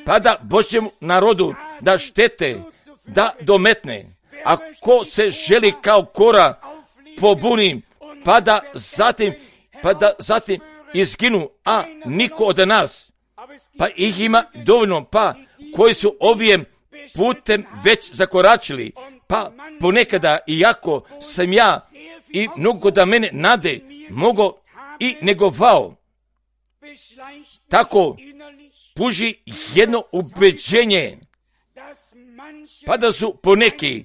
pa da Božjem narodu da štete, da dometne, a ko se želi kao Kora pobuni, pa da zatim, pa da zatim izginu, a niko od nas, pa ih ima dovoljno, pa koji su ovijem putem već zakoračili, pa ponekada, iako sam ja i mnogo da mene nade mogo i negovao, tako puži jedno ubeđenje, pa da su poneki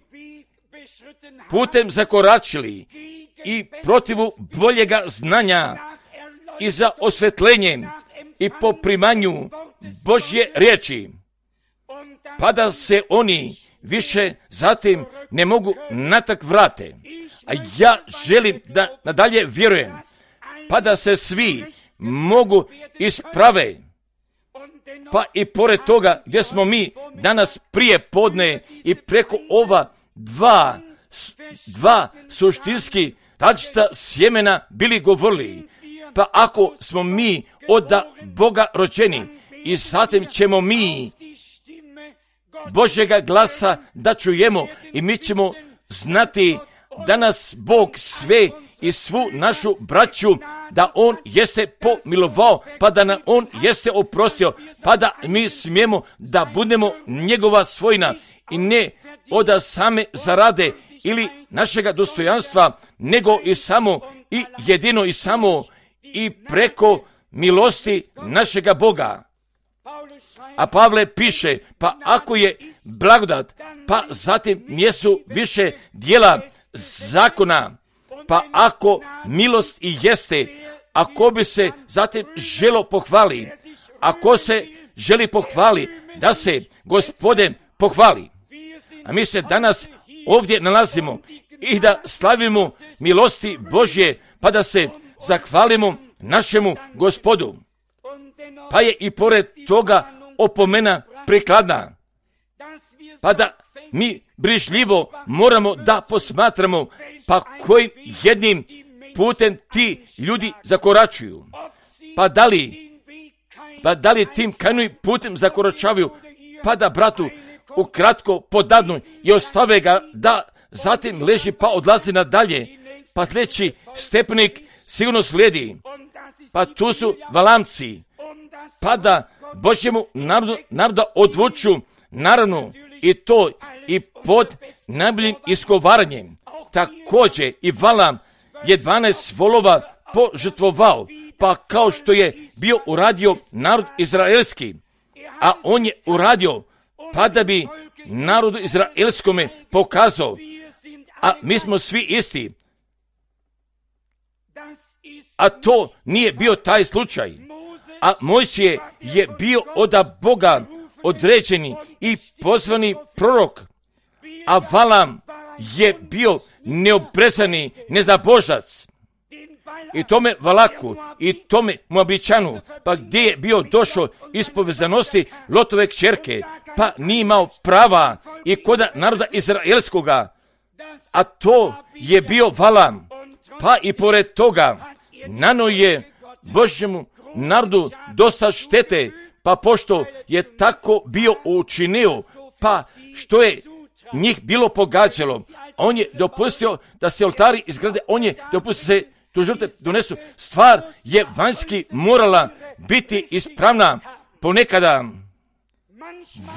putem zakoračili i protivu boljega znanja i za osvetljenjem i po primanju Božje riječi, pa da se oni više zatim ne mogu natak vrate. A ja želim da nadalje vjerujem, pa da se svi mogu isprave, pa i pored toga gdje smo mi danas prije podne i preko ova dva, dva suštinski različita sjemena bili govorili, pa ako smo mi od Boga rođeni i zatim ćemo mi Božjega glasa da čujemo i mi ćemo znati da nas Bog sve i svu našu braću, da On jeste pomilovao, pa da nam On jeste oprostio, pa da mi smijemo da budemo njegova svojina i ne od same zarade ili našega dostojanstva, nego i samo i jedino i samo i preko milosti našega Boga. A Pavle piše, pa ako je blagodat, pa zatim nijesu više djela zakona, pa ako milost i jeste, ako bi se zatim želo pohvali, ako se želi pohvali, da se Gospodin pohvali. A mi se danas ovdje nalazimo i da slavimo milosti Božje, pa da se zahvalimo našemu Gospodu. Pa je i pored toga opomena prikladna, pa da mi brižljivo moramo da posmatramo, pa kojim jednim putem ti ljudi zakoračuju, pa da li, pa da li tim Kainovim putem zakoračavaju, pa da bratu ukratko podadnu i ostave ga da zatim leži pa odlazi nadalje, pa sljedeći stepenik sigurno slijedi, pa tu su Valamci, pa da Božjemu narodu, naroda odvuču, naravno, i to i pod najboljim iskovaranjem. Također i Valam je dvanaest volova požrtvovao, pa kao što je bio uradio narod izraelski, a on je uradio pa da bi narodu izraelskome pokazao, a mi smo svi isti. A to nije bio taj slučaj. A Mojsije je bio od Boga određeni i pozvani prorok, a Valam je bio neobrezani nezabožac. I tome Valaku, i tome Moabičanu, pa gdje je bio došao iz povezanosti Lotove kćerke, pa nije imao prava i koda naroda izraelskoga, a to je bio Valam. Pa i pored toga, nano je Božjemu narodu dosta štete, pa pošto je tako bio učinio, pa što je njih bilo pogađalo, on je dopustio da se oltari izgrade, on je dopustio se tu žrtve donesu. Stvar je vanjski morala biti ispravna. Ponekada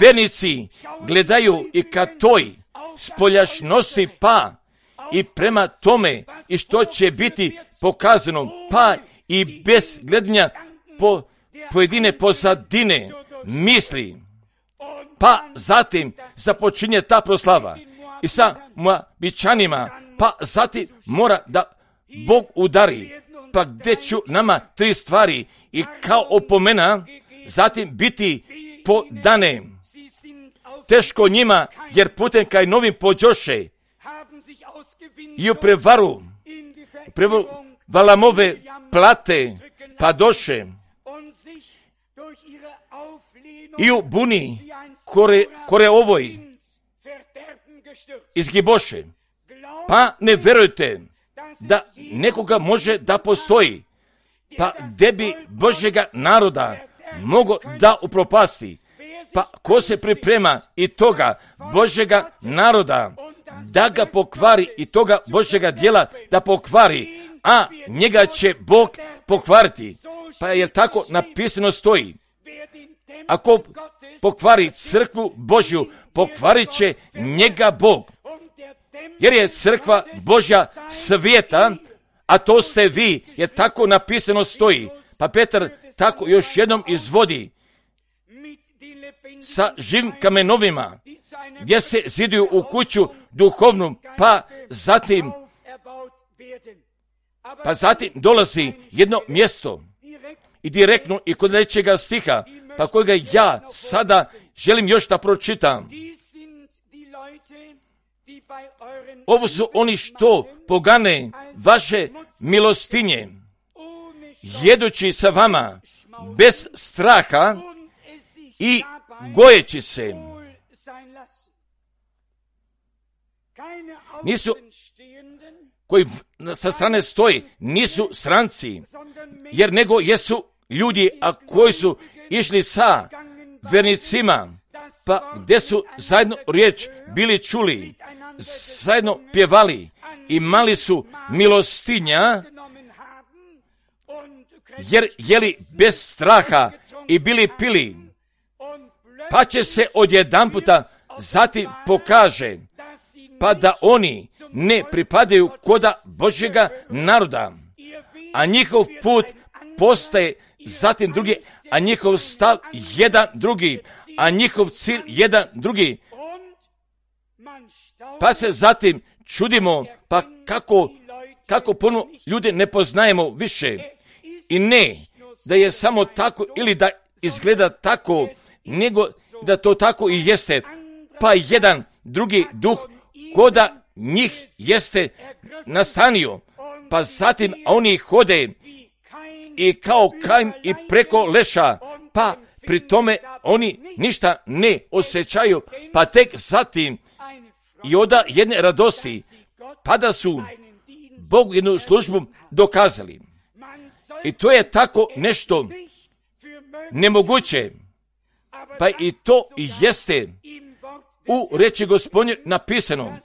vernici gledaju i ka toj spoljašnosti, pa i prema tome i što će biti pokazano, pa i bez gledanja po pojedine pozadine misli, pa zatim započinje ta proslava i sa Moabičanima, pa zatim mora da Bog udari, pa gdje ću nama tri stvari i kao opomena zatim biti podane. Teško njima, jer putem kaj novim pođoše i u prevaru, prevaru Valamove plate pa doše i u buni kore, kore ovoj izgiboše. Pa ne verujte da nekoga može da postoji, pa gdje bi Božjega naroda mogo da upropasti. Pa ko se priprema i toga Božjega naroda da ga pokvari i toga Božjega djela da pokvari, a njega će Bog pokvariti. Pa jer tako napisano stoji. Ako pokvari crkvu Božju, pokvarit će njega Bog. Jer je crkva Božja svijeta, a to ste vi, jer tako napisano stoji. Pa Petar tako još jednom izvodi sa živim kamenovima, gdje se ziduju u kuću duhovnu, pa zatim pa zatim dolazi jedno mjesto i direktno i kod trećega stiha, pa kojega ja sada želim još da pročitam. Ovo su oni što pogane vaše milostinje, jedući sa vama bez straha i gojeći se. Nisu koji sa strane stoji, nisu stranci, jer nego jesu ljudi, a koji su išli sa vernicima, pa gdje su zajedno riječ bili čuli, zajedno pjevali, imali su milostinja, jer jeli bez straha i bili pili, pa će se odjedanputa zatim pokaže, pa da oni ne pripadaju koda Božjega naroda, a njihov put postaje zatim drugi, a njihov stav jedan drugi, a njihov cilj jedan drugi. Pa se zatim čudimo, pa kako, kako puno ljude ne poznajemo više. I ne da je samo tako ili da izgleda tako, nego da to tako i jeste. Pa jedan drugi duh koda njih jeste nastanio, pa zatim oni hode i kao Kain i preko leša, pa pri tome oni ništa ne osjećaju, pa tek zatim i oda jedne radosti, pa da su Bogu jednu službu dokazali. I to je tako nešto nemoguće, pa i to i jeste u reči Gospodnje napisano,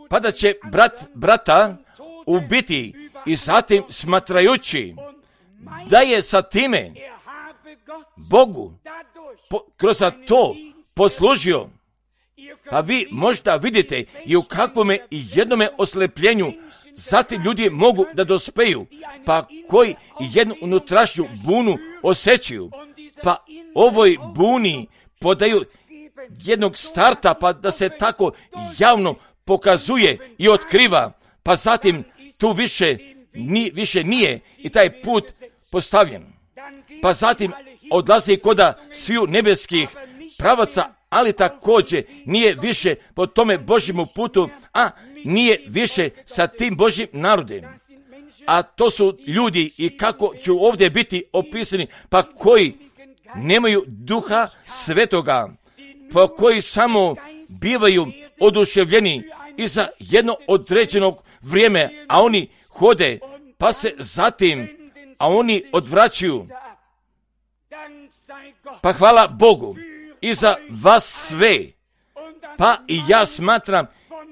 pa da će brat brata ubiti i zatim smatrajući da je sa time Bogu po, kroz to poslužio. Pa vi možda vidite i u kakvome jednome oslepljenju zatim ljudi mogu da dospeju, pa koji jednu unutrašnju bunu osjećaju, pa ovoj buni podaju jednog starta, pa da se tako javno pokazuje i otkriva, pa zatim tu više, ni, više nije i taj put postavljen. Pa zatim odlazi koda sviju nebeskih pravaca, ali također nije više po tome Božjemu putu, a nije više sa tim Božjim narodom. A to su ljudi i kako će ovdje biti opisani, pa koji nemaju duha svetoga, pa koji samo bivaju oduševljeni i za jedno određenog vrijeme, a oni hode, pa se zatim, a oni odvraćaju. Pa hvala Bogu i za vas sve. Pa i ja smatram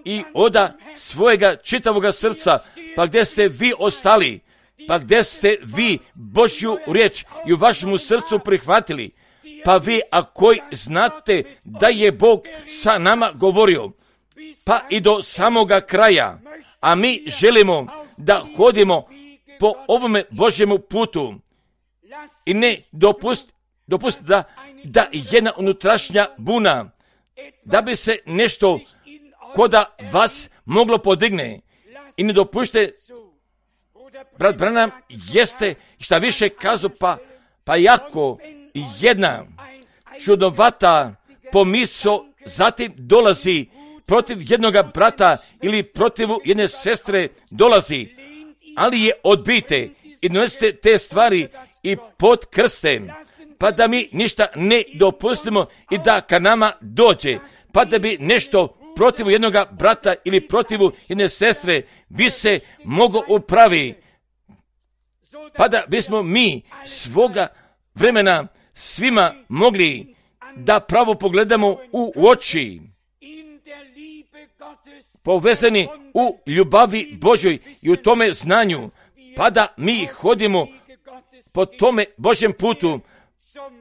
i oda svojega čitavoga srca, pa gdje ste vi ostali, pa gdje ste vi Božju riječ i u vašemu srcu prihvatili, pa vi ako znate da je Bog sa nama govorio, pa i do samoga kraja, a mi želimo da hodimo po ovome Božjemu putu i ne dopust, dopust da, da jedna unutrašnja buna, da bi se nešto koda vas moglo podigne i ne dopušte. Brat Branham jeste šta više kazao, pa, pa jako jedna čudovata pomisao zatim dolazi protiv jednoga brata ili protiv jedne sestre dolazi, ali je odbite i donesite te stvari i pod krstem, pa da mi ništa ne dopustimo i da ka nama dođe, pa da bi nešto protiv jednog brata ili protiv jedne sestre bi se mogo upravi, pa da bismo mi svoga vremena svima mogli da pravo pogledamo u oči, povezani u ljubavi Božoj i u tome znanju, pa da mi hodimo po tome Božjem putu,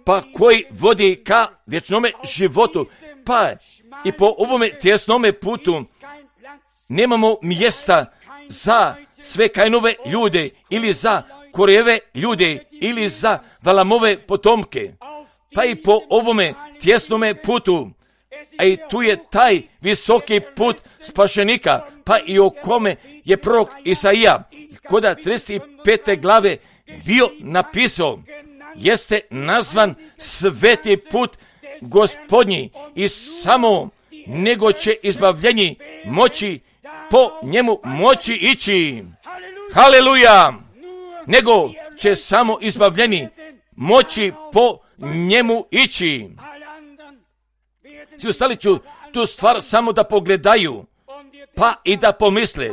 pa koji vodi ka vječnome životu, pa i po ovome tjesnome putu nemamo mjesta za sve Kainove ljude ili za Korejeve ljude ili za Valamove potomke, pa i po ovome tjesnome putu, a i tu je taj visoki put spašenika, pa i o kome je prorok Isaija koda trideset pete glave bio napisao, jeste nazvan sveti put Gospodnji i samo nego će izbavljenji moći po njemu moći ići. Haleluja! Nego će samo izbavljeni moći po njemu ići. Svi ostali ću tu stvar samo da pogledaju, pa i da pomisle,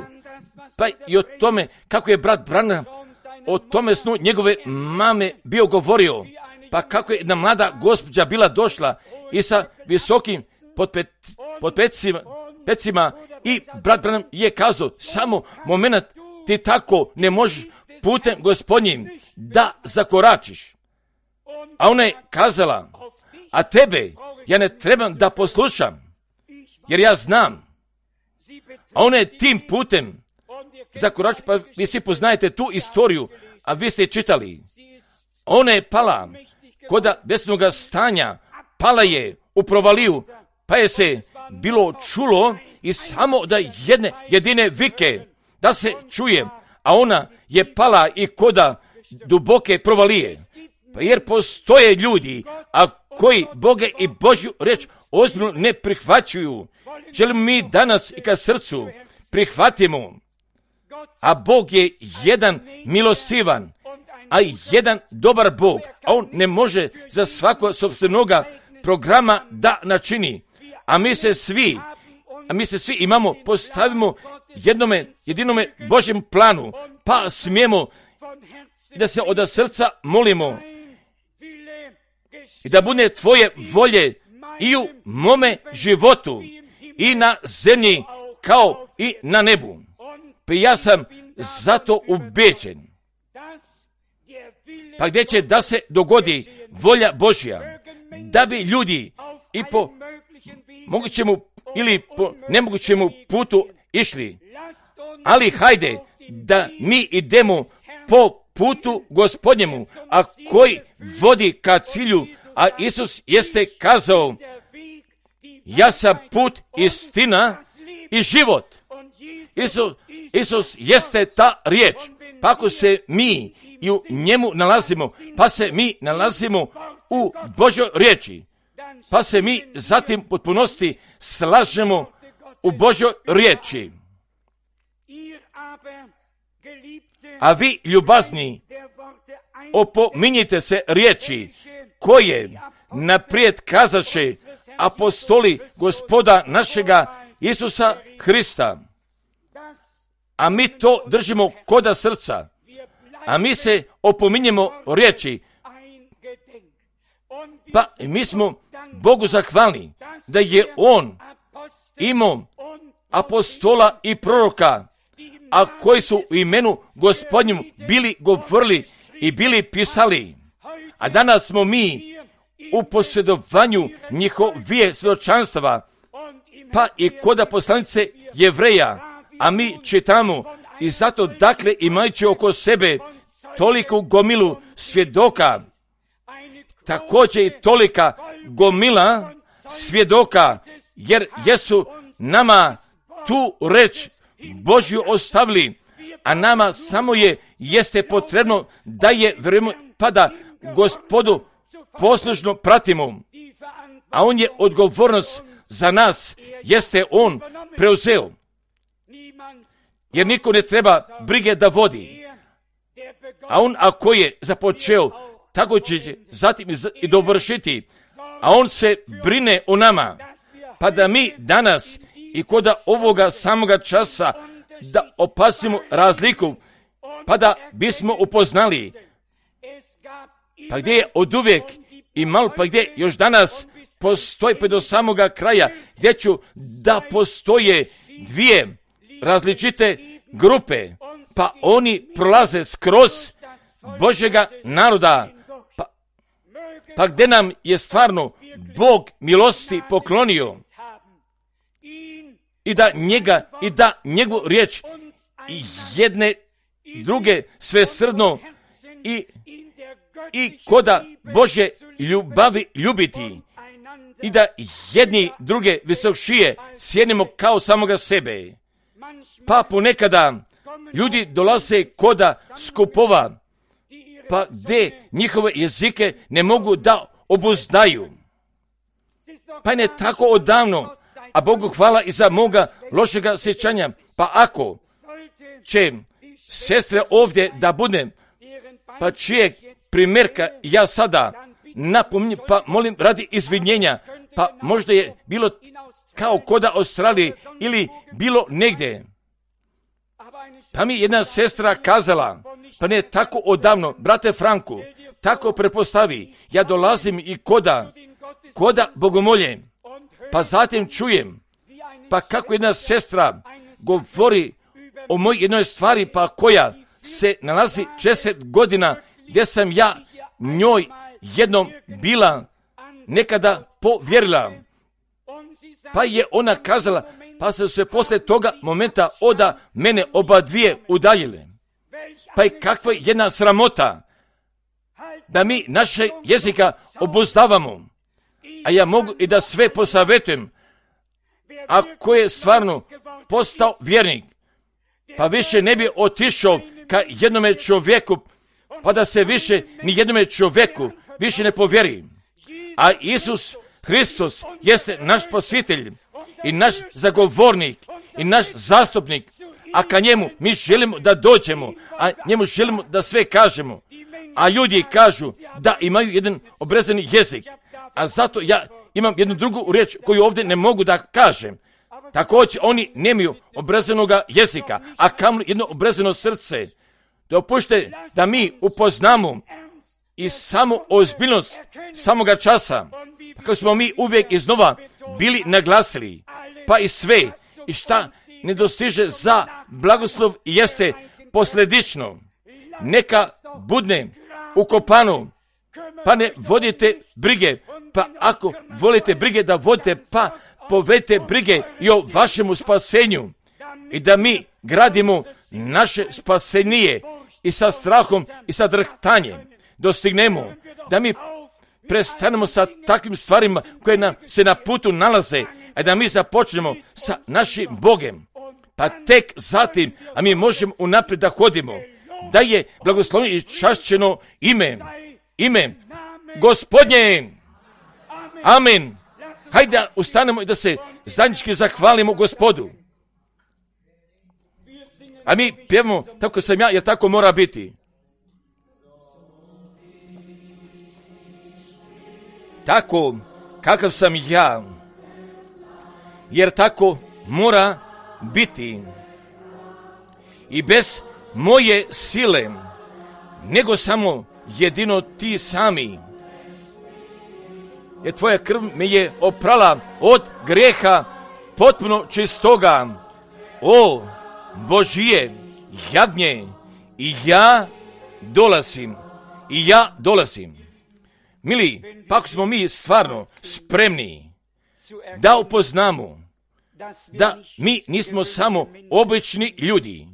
pa i o tome kako je brat Branham o tome snu njegove mame bio govorio, pa kako je jedna mlada gospođa bila došla i sa visokim potpet, potpecima pecima, i brat Branham je kazao, samo moment, ti tako ne možeš putem Gospodnjim da zakoračiš. A ona je kazala, a tebe ja ne trebam da poslušam, jer ja znam. A ona je tim putem zakoračila, pa vi svi poznajete tu istoriju, a vi ste čitali. Ona je pala koda besnoga stanja, pala je u provaliju, pa je se bilo čulo i samo da jedne jedine vike da se čuje, a ona je pala i koda duboke provalije. Pa jer postoje ljudi, a koji Boge i Božju reč ozbiljno ne prihvaćuju. Želimo mi danas i ka srcu prihvatimo, a Bog je jedan milostivan, a jedan dobar Bog, a On ne može za svako sopstvenoga programa da načini. A mi se svi, a mi se svi imamo, postavimo jednome, jedinome Božjem planu, pa smijemo da se od srca molimo i da bude tvoje volje i u mome životu i na zemlji kao i na nebu. Pa ja sam zato ubeđen pa gdje će da se dogodi volja Božja, da bi ljudi i po mogućemu ili po nemogućemu putu išli. Ali hajde da mi idemo po putu Gospodnjemu, a koji vodi ka cilju, a Isus jeste kazao, ja sam put, istina i život. Isus, Isus jeste ta riječ. Pa ako se mi i u njemu nalazimo, pa se mi nalazimo u Božoj riječi, pa se mi zatim potpunosti slažemo u Božoj riječi. A vi, ljubazni, opominjite se riječi koje naprijed kazaše apostoli Gospoda našega Isusa Hrista. A mi to držimo koda srca. A mi se opominjemo riječi. Pa mi smo Bogu zahvalni da je On imao apostola i proroka, a koji su u imenu Gospodnjem bili govorili i bili pisali. A danas smo mi u posjedovanju njihovije svjedočanstava, pa i koda poslanice Jevreja, a mi čitamo i zato dakle imajući oko sebe toliku gomilu svjedoka, također i tolika gomila svjedoka, jer jesu nama tu reč Božju ostavili, a nama samo je jeste potrebno da je vjerujemo, pa da Gospodu poslušno pratimo, a On je odgovornost za nas, jeste On preuzeo, jer niko ne treba brige da vodi, a On ako je započeo, tako će zatim i dovršiti, a On se brine o nama, pa da mi danas i koda ovoga samoga časa da opazimo razliku, pa da bismo upoznali, pa gdje je od uvijek i malo, pa gdje još danas postoji pa do samoga kraja, gdje ću da postoje dvije različite grupe, pa oni prolaze skroz Božjega naroda, pa, pa gdje nam je stvarno Bog milosti poklonio, i da njega, i da njegovu riječ i jedne druge svesrdno i, i koda Božje ljubavi ljubiti, i da jedni druge visokšije cijenimo kao samoga sebe. Pa ponekada ljudi dolaze koda skupova, pa gdje njihove jezike ne mogu da obuzdaju. Pa ne tako odavno, a Bogu hvala i za moga lošega sjećanja. Pa ako će sestre ovdje da budem, pa čijeg primjerka ja sada napominjem, pa molim radi izvinjenja, pa možda je bilo kao koda Australije ili bilo negdje. Pa mi jedna sestra kazala, pa ne tako odavno, brate Franku, tako prepostavi, ja dolazim i koda, koda bogomolje, pa zatim čujem, pa kako jedna sestra govori o moj jednoj stvari, pa koja se nalazi šezdeset godina, gdje sam ja njoj jednom bila nekada povjerila. Pa je ona kazala, pa su se poslije toga momenta oda mene oba dvije udaljile. Pa i kakva je jedna sramota da mi naše jezika obuzdavamo. A ja mogu i da sve posavjetujem, ako je stvarno postao vjernik, pa više ne bi otišao ka jednome čovjeku, pa da se više ni jednome čovjeku više ne povjeri. A Isus Hristos jeste naš spasitelj i naš zagovornik i naš zastupnik, a ka njemu mi želimo da dođemo, a njemu želimo da sve kažemo. A ljudi kažu da imaju jedan obrezani jezik, a zato ja imam jednu drugu riječ koju ovdje ne mogu da kažem. Također oni nemaju obrezanoga jezika, a kamoli jedno obrezano srce. Dopušte da mi upoznamo i samo ozbiljnost samoga časa, kako smo mi uvijek iznova bili naglasili, pa i sve i šta ne dostiže za blagoslov jeste posljedično. Neka budne ukopano, pa ne vodite brige, pa ako volite brige da vodite, pa povedite brige i o vašemu spasenju i da mi gradimo naše spasenije i sa strahom i sa drhtanjem dostignemo, da mi prestanemo sa takvim stvarima koje nam se na putu nalaze, a da mi započnemo sa našim Bogem, pa tek zatim, a mi možemo unaprijed da hodimo, da je blagosloveno i čašćeno ime, ime Gospodnje. Amen. Hajde da ustanemo i da se zajednički zahvalimo Gospodu. A mi pjevamo tako sam ja, jer tako mora biti. Tako kakav sam ja, jer tako mora biti. I bez moje sile, nego samo jedino ti sami. Jer tvoja krv me je oprala od grijeha potpuno čistoga. O Božije jagnje, i ja dolazim, i ja dolazim. Mili, pa ako smo mi stvarno spremni da upoznamo da mi nismo samo obični ljudi,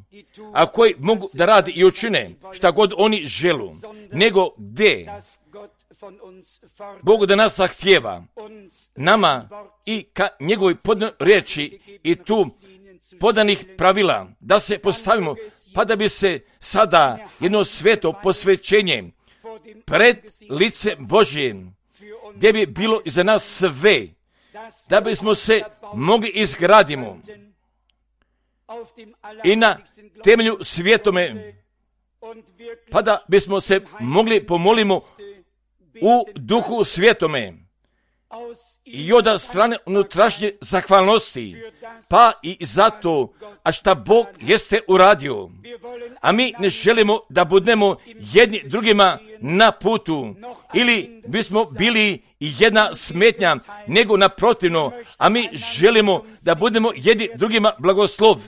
a koji mogu da rade i učine šta god oni želu, nego gde Bog da nas zahtjeva nama i ka njegovoj podnoj riječi i tu podanih pravila da se postavimo, pa da bi se sada jedno sveto posvećenje pred lice Božje, gdje bi bilo iza nas sve, da bismo se mogli izgradimo i na temelju svjetome, pa da bismo se mogli pomolimo u duhu svjetome i od strane unutrašnje zahvalnosti, pa i zato, a šta Bog jeste uradio. A mi ne želimo da budemo jedni drugima na putu, ili bismo bili jedna smetnja, nego naprotivno, a mi želimo da budemo jedni drugima blagoslov,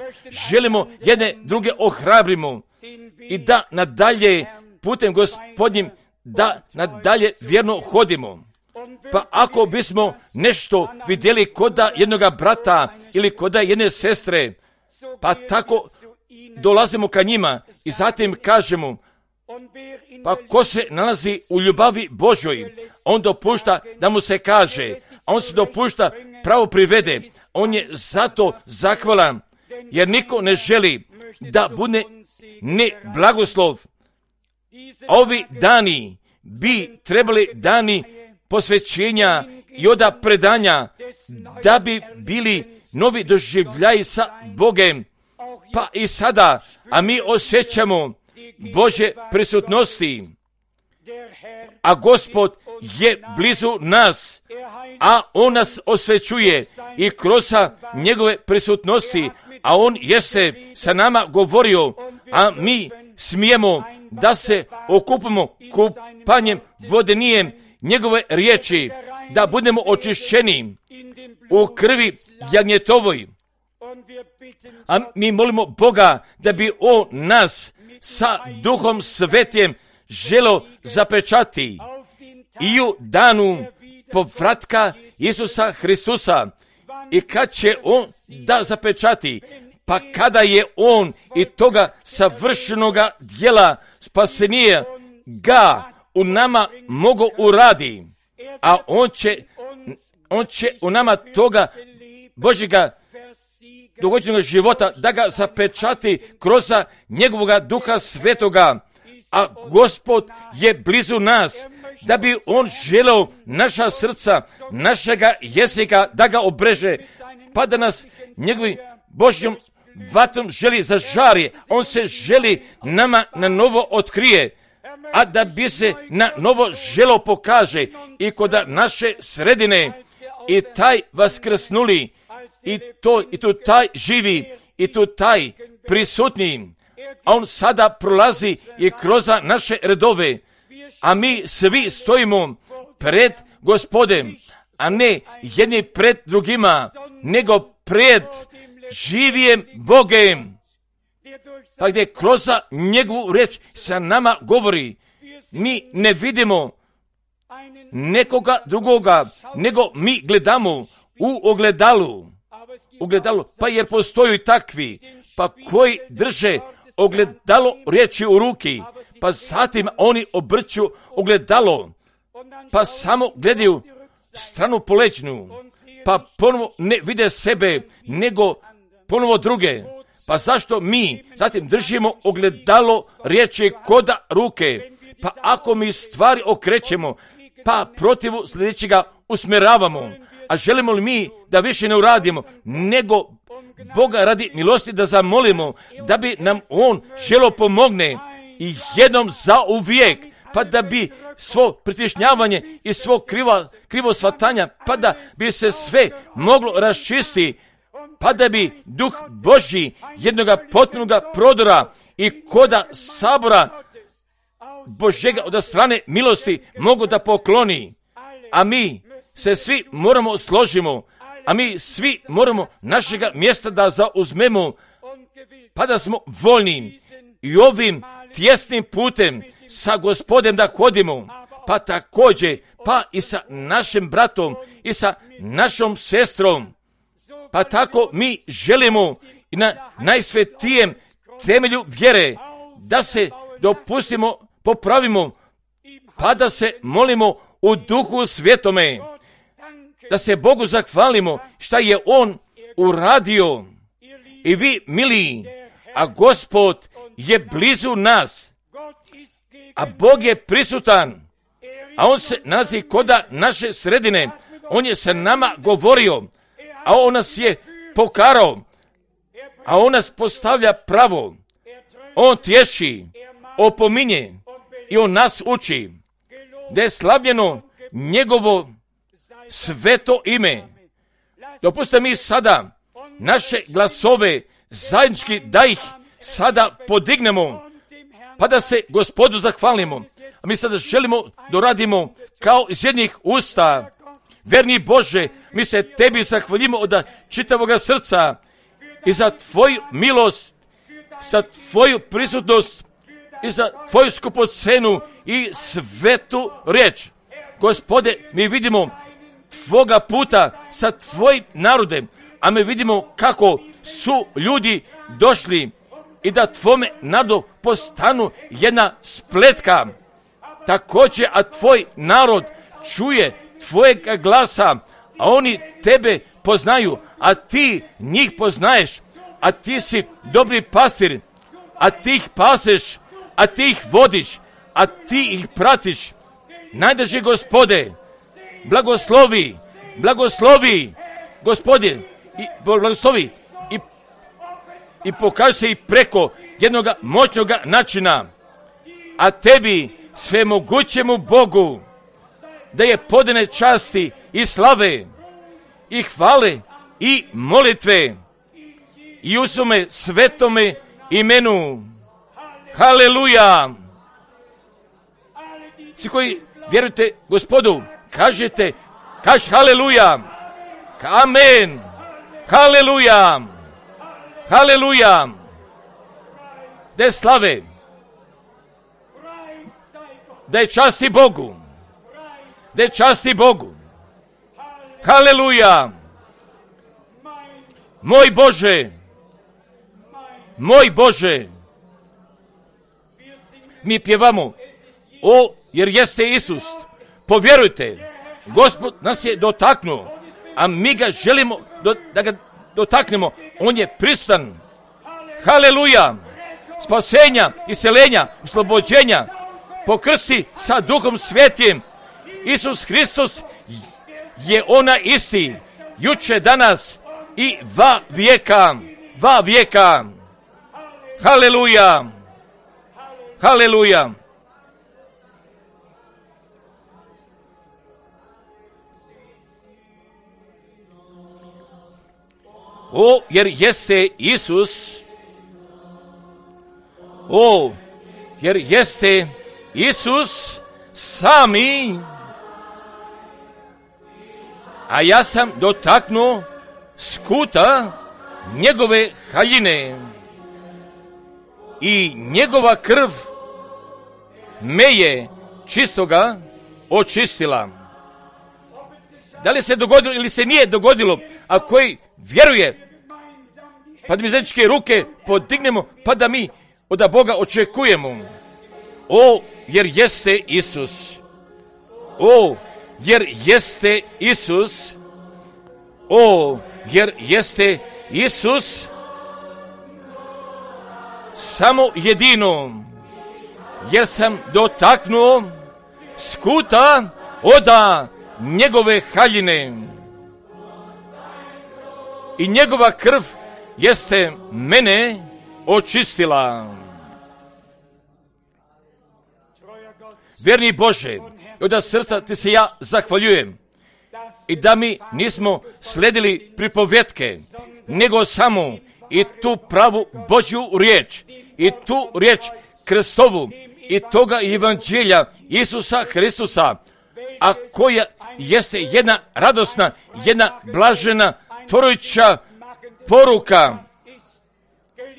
želimo jedne druge ohrabrimo i da nadalje putem Gospodnjim, da nadalje vjerno hodimo. Pa ako bismo nešto vidjeli koda jednoga brata ili koda jedne sestre, pa tako dolazimo ka njima i zatim kažemo, pa ko se nalazi u ljubavi Božoj, on dopušta da mu se kaže, a on se dopušta pravo privede, on je zato zahvalan, jer niko ne želi da bude ne blagoslov. Ovi dani bi trebali dani posvećenja i oda predanja, da bi bili novi doživljaji sa Bogem, pa i sada, a mi osjećamo Božje prisutnosti, a Gospod je blizu nas, a On nas osvećuje i kroz njegove prisutnosti, a On jeste sa nama govorio, a mi smijemo da se okupimo kupanjem vodenijem njegove riječi, da budemo očišćeni u krvi jagnjetovoj. A mi molimo Boga da bi On nas sa Duhom Svetim želo zapečati i u danu povratka Isusa Hristusa. I kad će On da zapečati? Pa kada je On i toga savršenoga djela spasenija ga u nama mogo uradi, a On će, on će u nama toga Božjega dogođenog života da ga zapečati kroz njegovoga Duha Svetoga, a Gospod je blizu nas, da bi On želeo naša srca, našega jezika da ga obreže, pa da nas njegovim Božjom vatrom želi zažari. On se želi nama na novo otkrije, a da bi se na novo želo pokaže i kod naše sredine i taj vaskrsnuli i to i tu taj živi i tu taj prisutni, a On sada prolazi i kroz naše redove, a mi svi stojimo pred Gospodem, a ne jedni pred drugima, nego pred živijem Bogem, pa gdje kroz njegovu riječ sa nama govori. mi ne vidimo nekoga drugoga, nego mi gledamo u ogledalu. Ogledalu, pa jer postoji takvi, pa koji drže ogledalo riječi u ruki, pa zatim oni obrću ogledalo, pa samo gledaju stranu polećnu, pa ponovo ne vide sebe, nego ponovo druge. Pa zašto mi zatim držimo ogledalo riječi koda ruke? Pa ako mi stvari okrećemo, pa protivu sljedećega usmjeravamo, a želimo li mi da više ne uradimo, nego Boga radi milosti da zamolimo, da bi nam On želo pomogne i jednom zauvijek, pa da bi svo pritišnjavanje i svo krivo, krivo shvatanja, pa da bi se sve moglo raščisti, pa da bi Duh Božji jednoga potpunoga prodora i koda sabora Božjega od strane milosti mogu da pokloni. A mi se svi moramo složimo, a mi svi moramo našega mjesta da zauzmemo, pa da smo voljni i ovim tjesnim putem sa Gospodem da hodimo, pa također pa i sa našim bratom i sa našom sestrom. Pa tako mi želimo i na najsvetijem temelju vjere da se dopustimo, popravimo, pa da se molimo u Duhu Svjetome, da se Bogu zahvalimo šta je On uradio. I vi, mili, a Gospod je blizu nas, a Bog je prisutan, a On se nalazi koda naše sredine. On je sa nama govorio, a On nas je pokarao, a On nas postavlja pravo. On tješi, opominje i On nas uči. Da je slavljeno njegovo sveto ime. Dopustite mi sada naše glasove zajednički da ih sada podignemo, pa da se Gospodu zahvalimo. A mi sada želimo da radimo kao iz jednih usta. Verni Bože, mi se Tebi zahvalimo od čitavoga srca i za Tvoju milost, za Tvoju prisutnost i za Tvoju skupocenu i svetu riječ. Gospode, mi vidimo Tvoga puta sa Tvojim narodem, a mi vidimo kako su ljudi došli i da Tvome narodu postanu jedna spletka. Također, a Tvoj narod čuje Tvojeg glasa, a oni Tebe poznaju, a Ti njih poznaješ, a Ti si dobri pastir, a Ti ih paseš, a Ti ih vodiš, a Ti ih pratiš. Najdrži Gospode, blagoslovi, blagoslovi, Gospodin, i blagoslovi i, i pokaži se i preko jednog moćnog načina, a Tebi, svemogućemu Bogu, da je podane časti i slave i hvale i molitve i u svome svetome imenu. Haleluja! Svi koji vjerujete Gospodu, kažete, kaž haleluja, amen, haleluja, haleluja, da je slave, da je časti Bogu, da je časti Bogu, haleluja, moj Bože, moj Bože, mi pjevamo, o, jer jeste Isus, povjerujte, Gospod nas je dotaknuo, a mi ga želimo do, da ga dotaknemo, on je prisutan, haleluja, spasenja, isceljenja, oslobođenja, pokrsti sa Duhom Svetim. Isus Hristos je ona isti, juče, danas i va vijeka, va vijeka, haleluja, haleluja. O, jer jeste Isus, o, jer jeste Isus sami, a ja sam dotaknuo skuta njegove haljine i njegova krv me je čistoga očistila. Da li se dogodilo ili se nije dogodilo, a koji vjeruje, pa da mi zajedničke ruke podignemo, pa da mi od Boga očekujemo. O, jer jeste Isus. O, jer jeste Isus. O, jer jeste Isus. Samo jedino, jer sam dotaknuo skuta oda njegove haljine i njegova krv jeste mene očistila. Vjerni Bože, od srca ti se ja zahvaljujem i da mi nismo sledili pripovjetke, nego samo i tu pravu Božju riječ i tu riječ Kristovu i toga evanđelja Isusa Hristusa, a koja jeste jedna radosna, jedna blažena, tvorujuća poruka.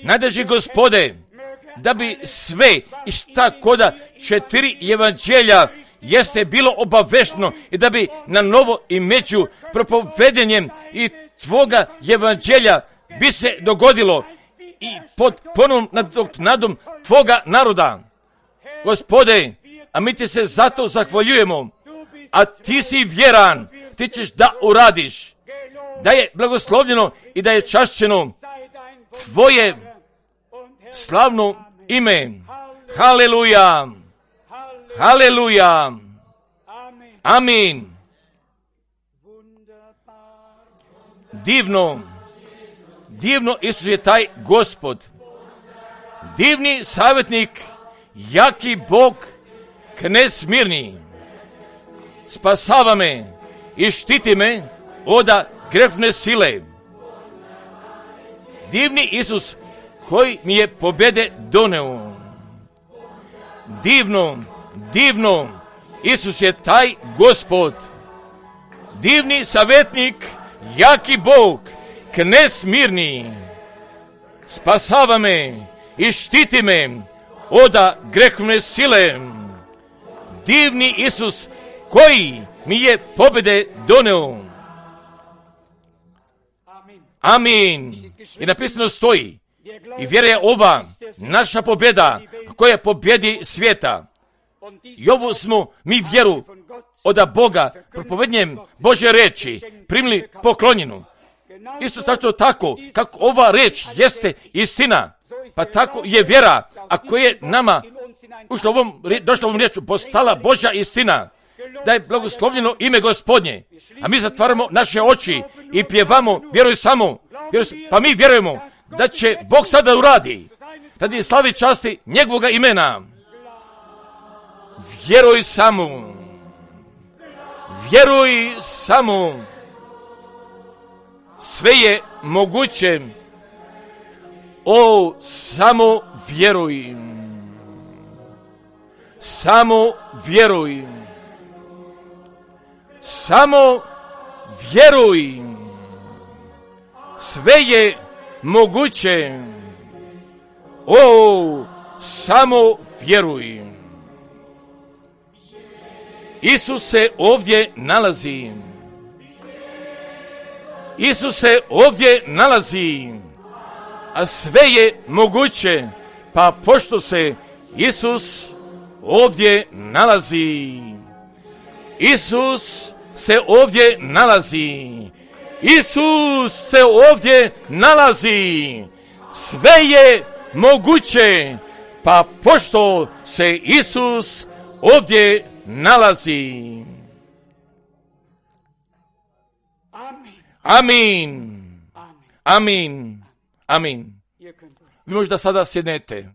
Najdraži Gospode, da bi sve i šta koda četiri evanđelja jeste bilo obavešteno i da bi na novo i među propovedenjem i tvoga evanđelja bi se dogodilo i pod ponovnom nadom tvoga naroda. Gospode, a mi ti se zato zahvaljujemo, a ti si vjeran, ti ćeš da uradiš, da je blagoslovljeno i da je čašćeno tvoje slavno ime. Haleluja, haleluja, amin. Divno, divno Isus je taj Gospod, divni savjetnik, jaki Bog, knez mirni, spasava me i štiti me od grefne sile. Divni Isus koji mi je pobjede doneo. Divno, divno, Isus je taj Gospod, divni savjetnik, jaki Bog, knez mirni, spasava me i štiti me od grehovne sile. Divni Isus koji mi je pobjede doneo. Amin. I napisano stoji, i vjera je ova naša pobjeda koja pobjedi svijeta. I ovo smo mi vjeru od Boga propovednjem Božje reči primili poklonjenu. Isto tako tako kako ova reč jeste istina, pa tako je vjera, ako je nama ušla ovom, došla ovom riječu, postala Božja istina, da je blagoslovljeno ime Gospodnje, a mi zatvaramo naše oči i pjevamo, vjeruj samo, vjeruj, pa mi vjerujemo da će Bog sada uradi, radi slavi časti njegovoga imena. Vjeruj samo, vjeruj samo, sve je moguće, o, samo vjeruj, samo vjeruj, samo vjeruj, sve je moguće, o, samo vjeruj. Isus se ovdje nalazi. Isus se ovdje nalazi, a sve je moguće, pa pošto se Isus ovdje nalazi, Isus se ovdje nalazi, Isus se ovdje nalazi, sve je moguće, pa pošto se Isus ovdje nalazi. Amin. Amin. Amin. Vi možda sada sjednete.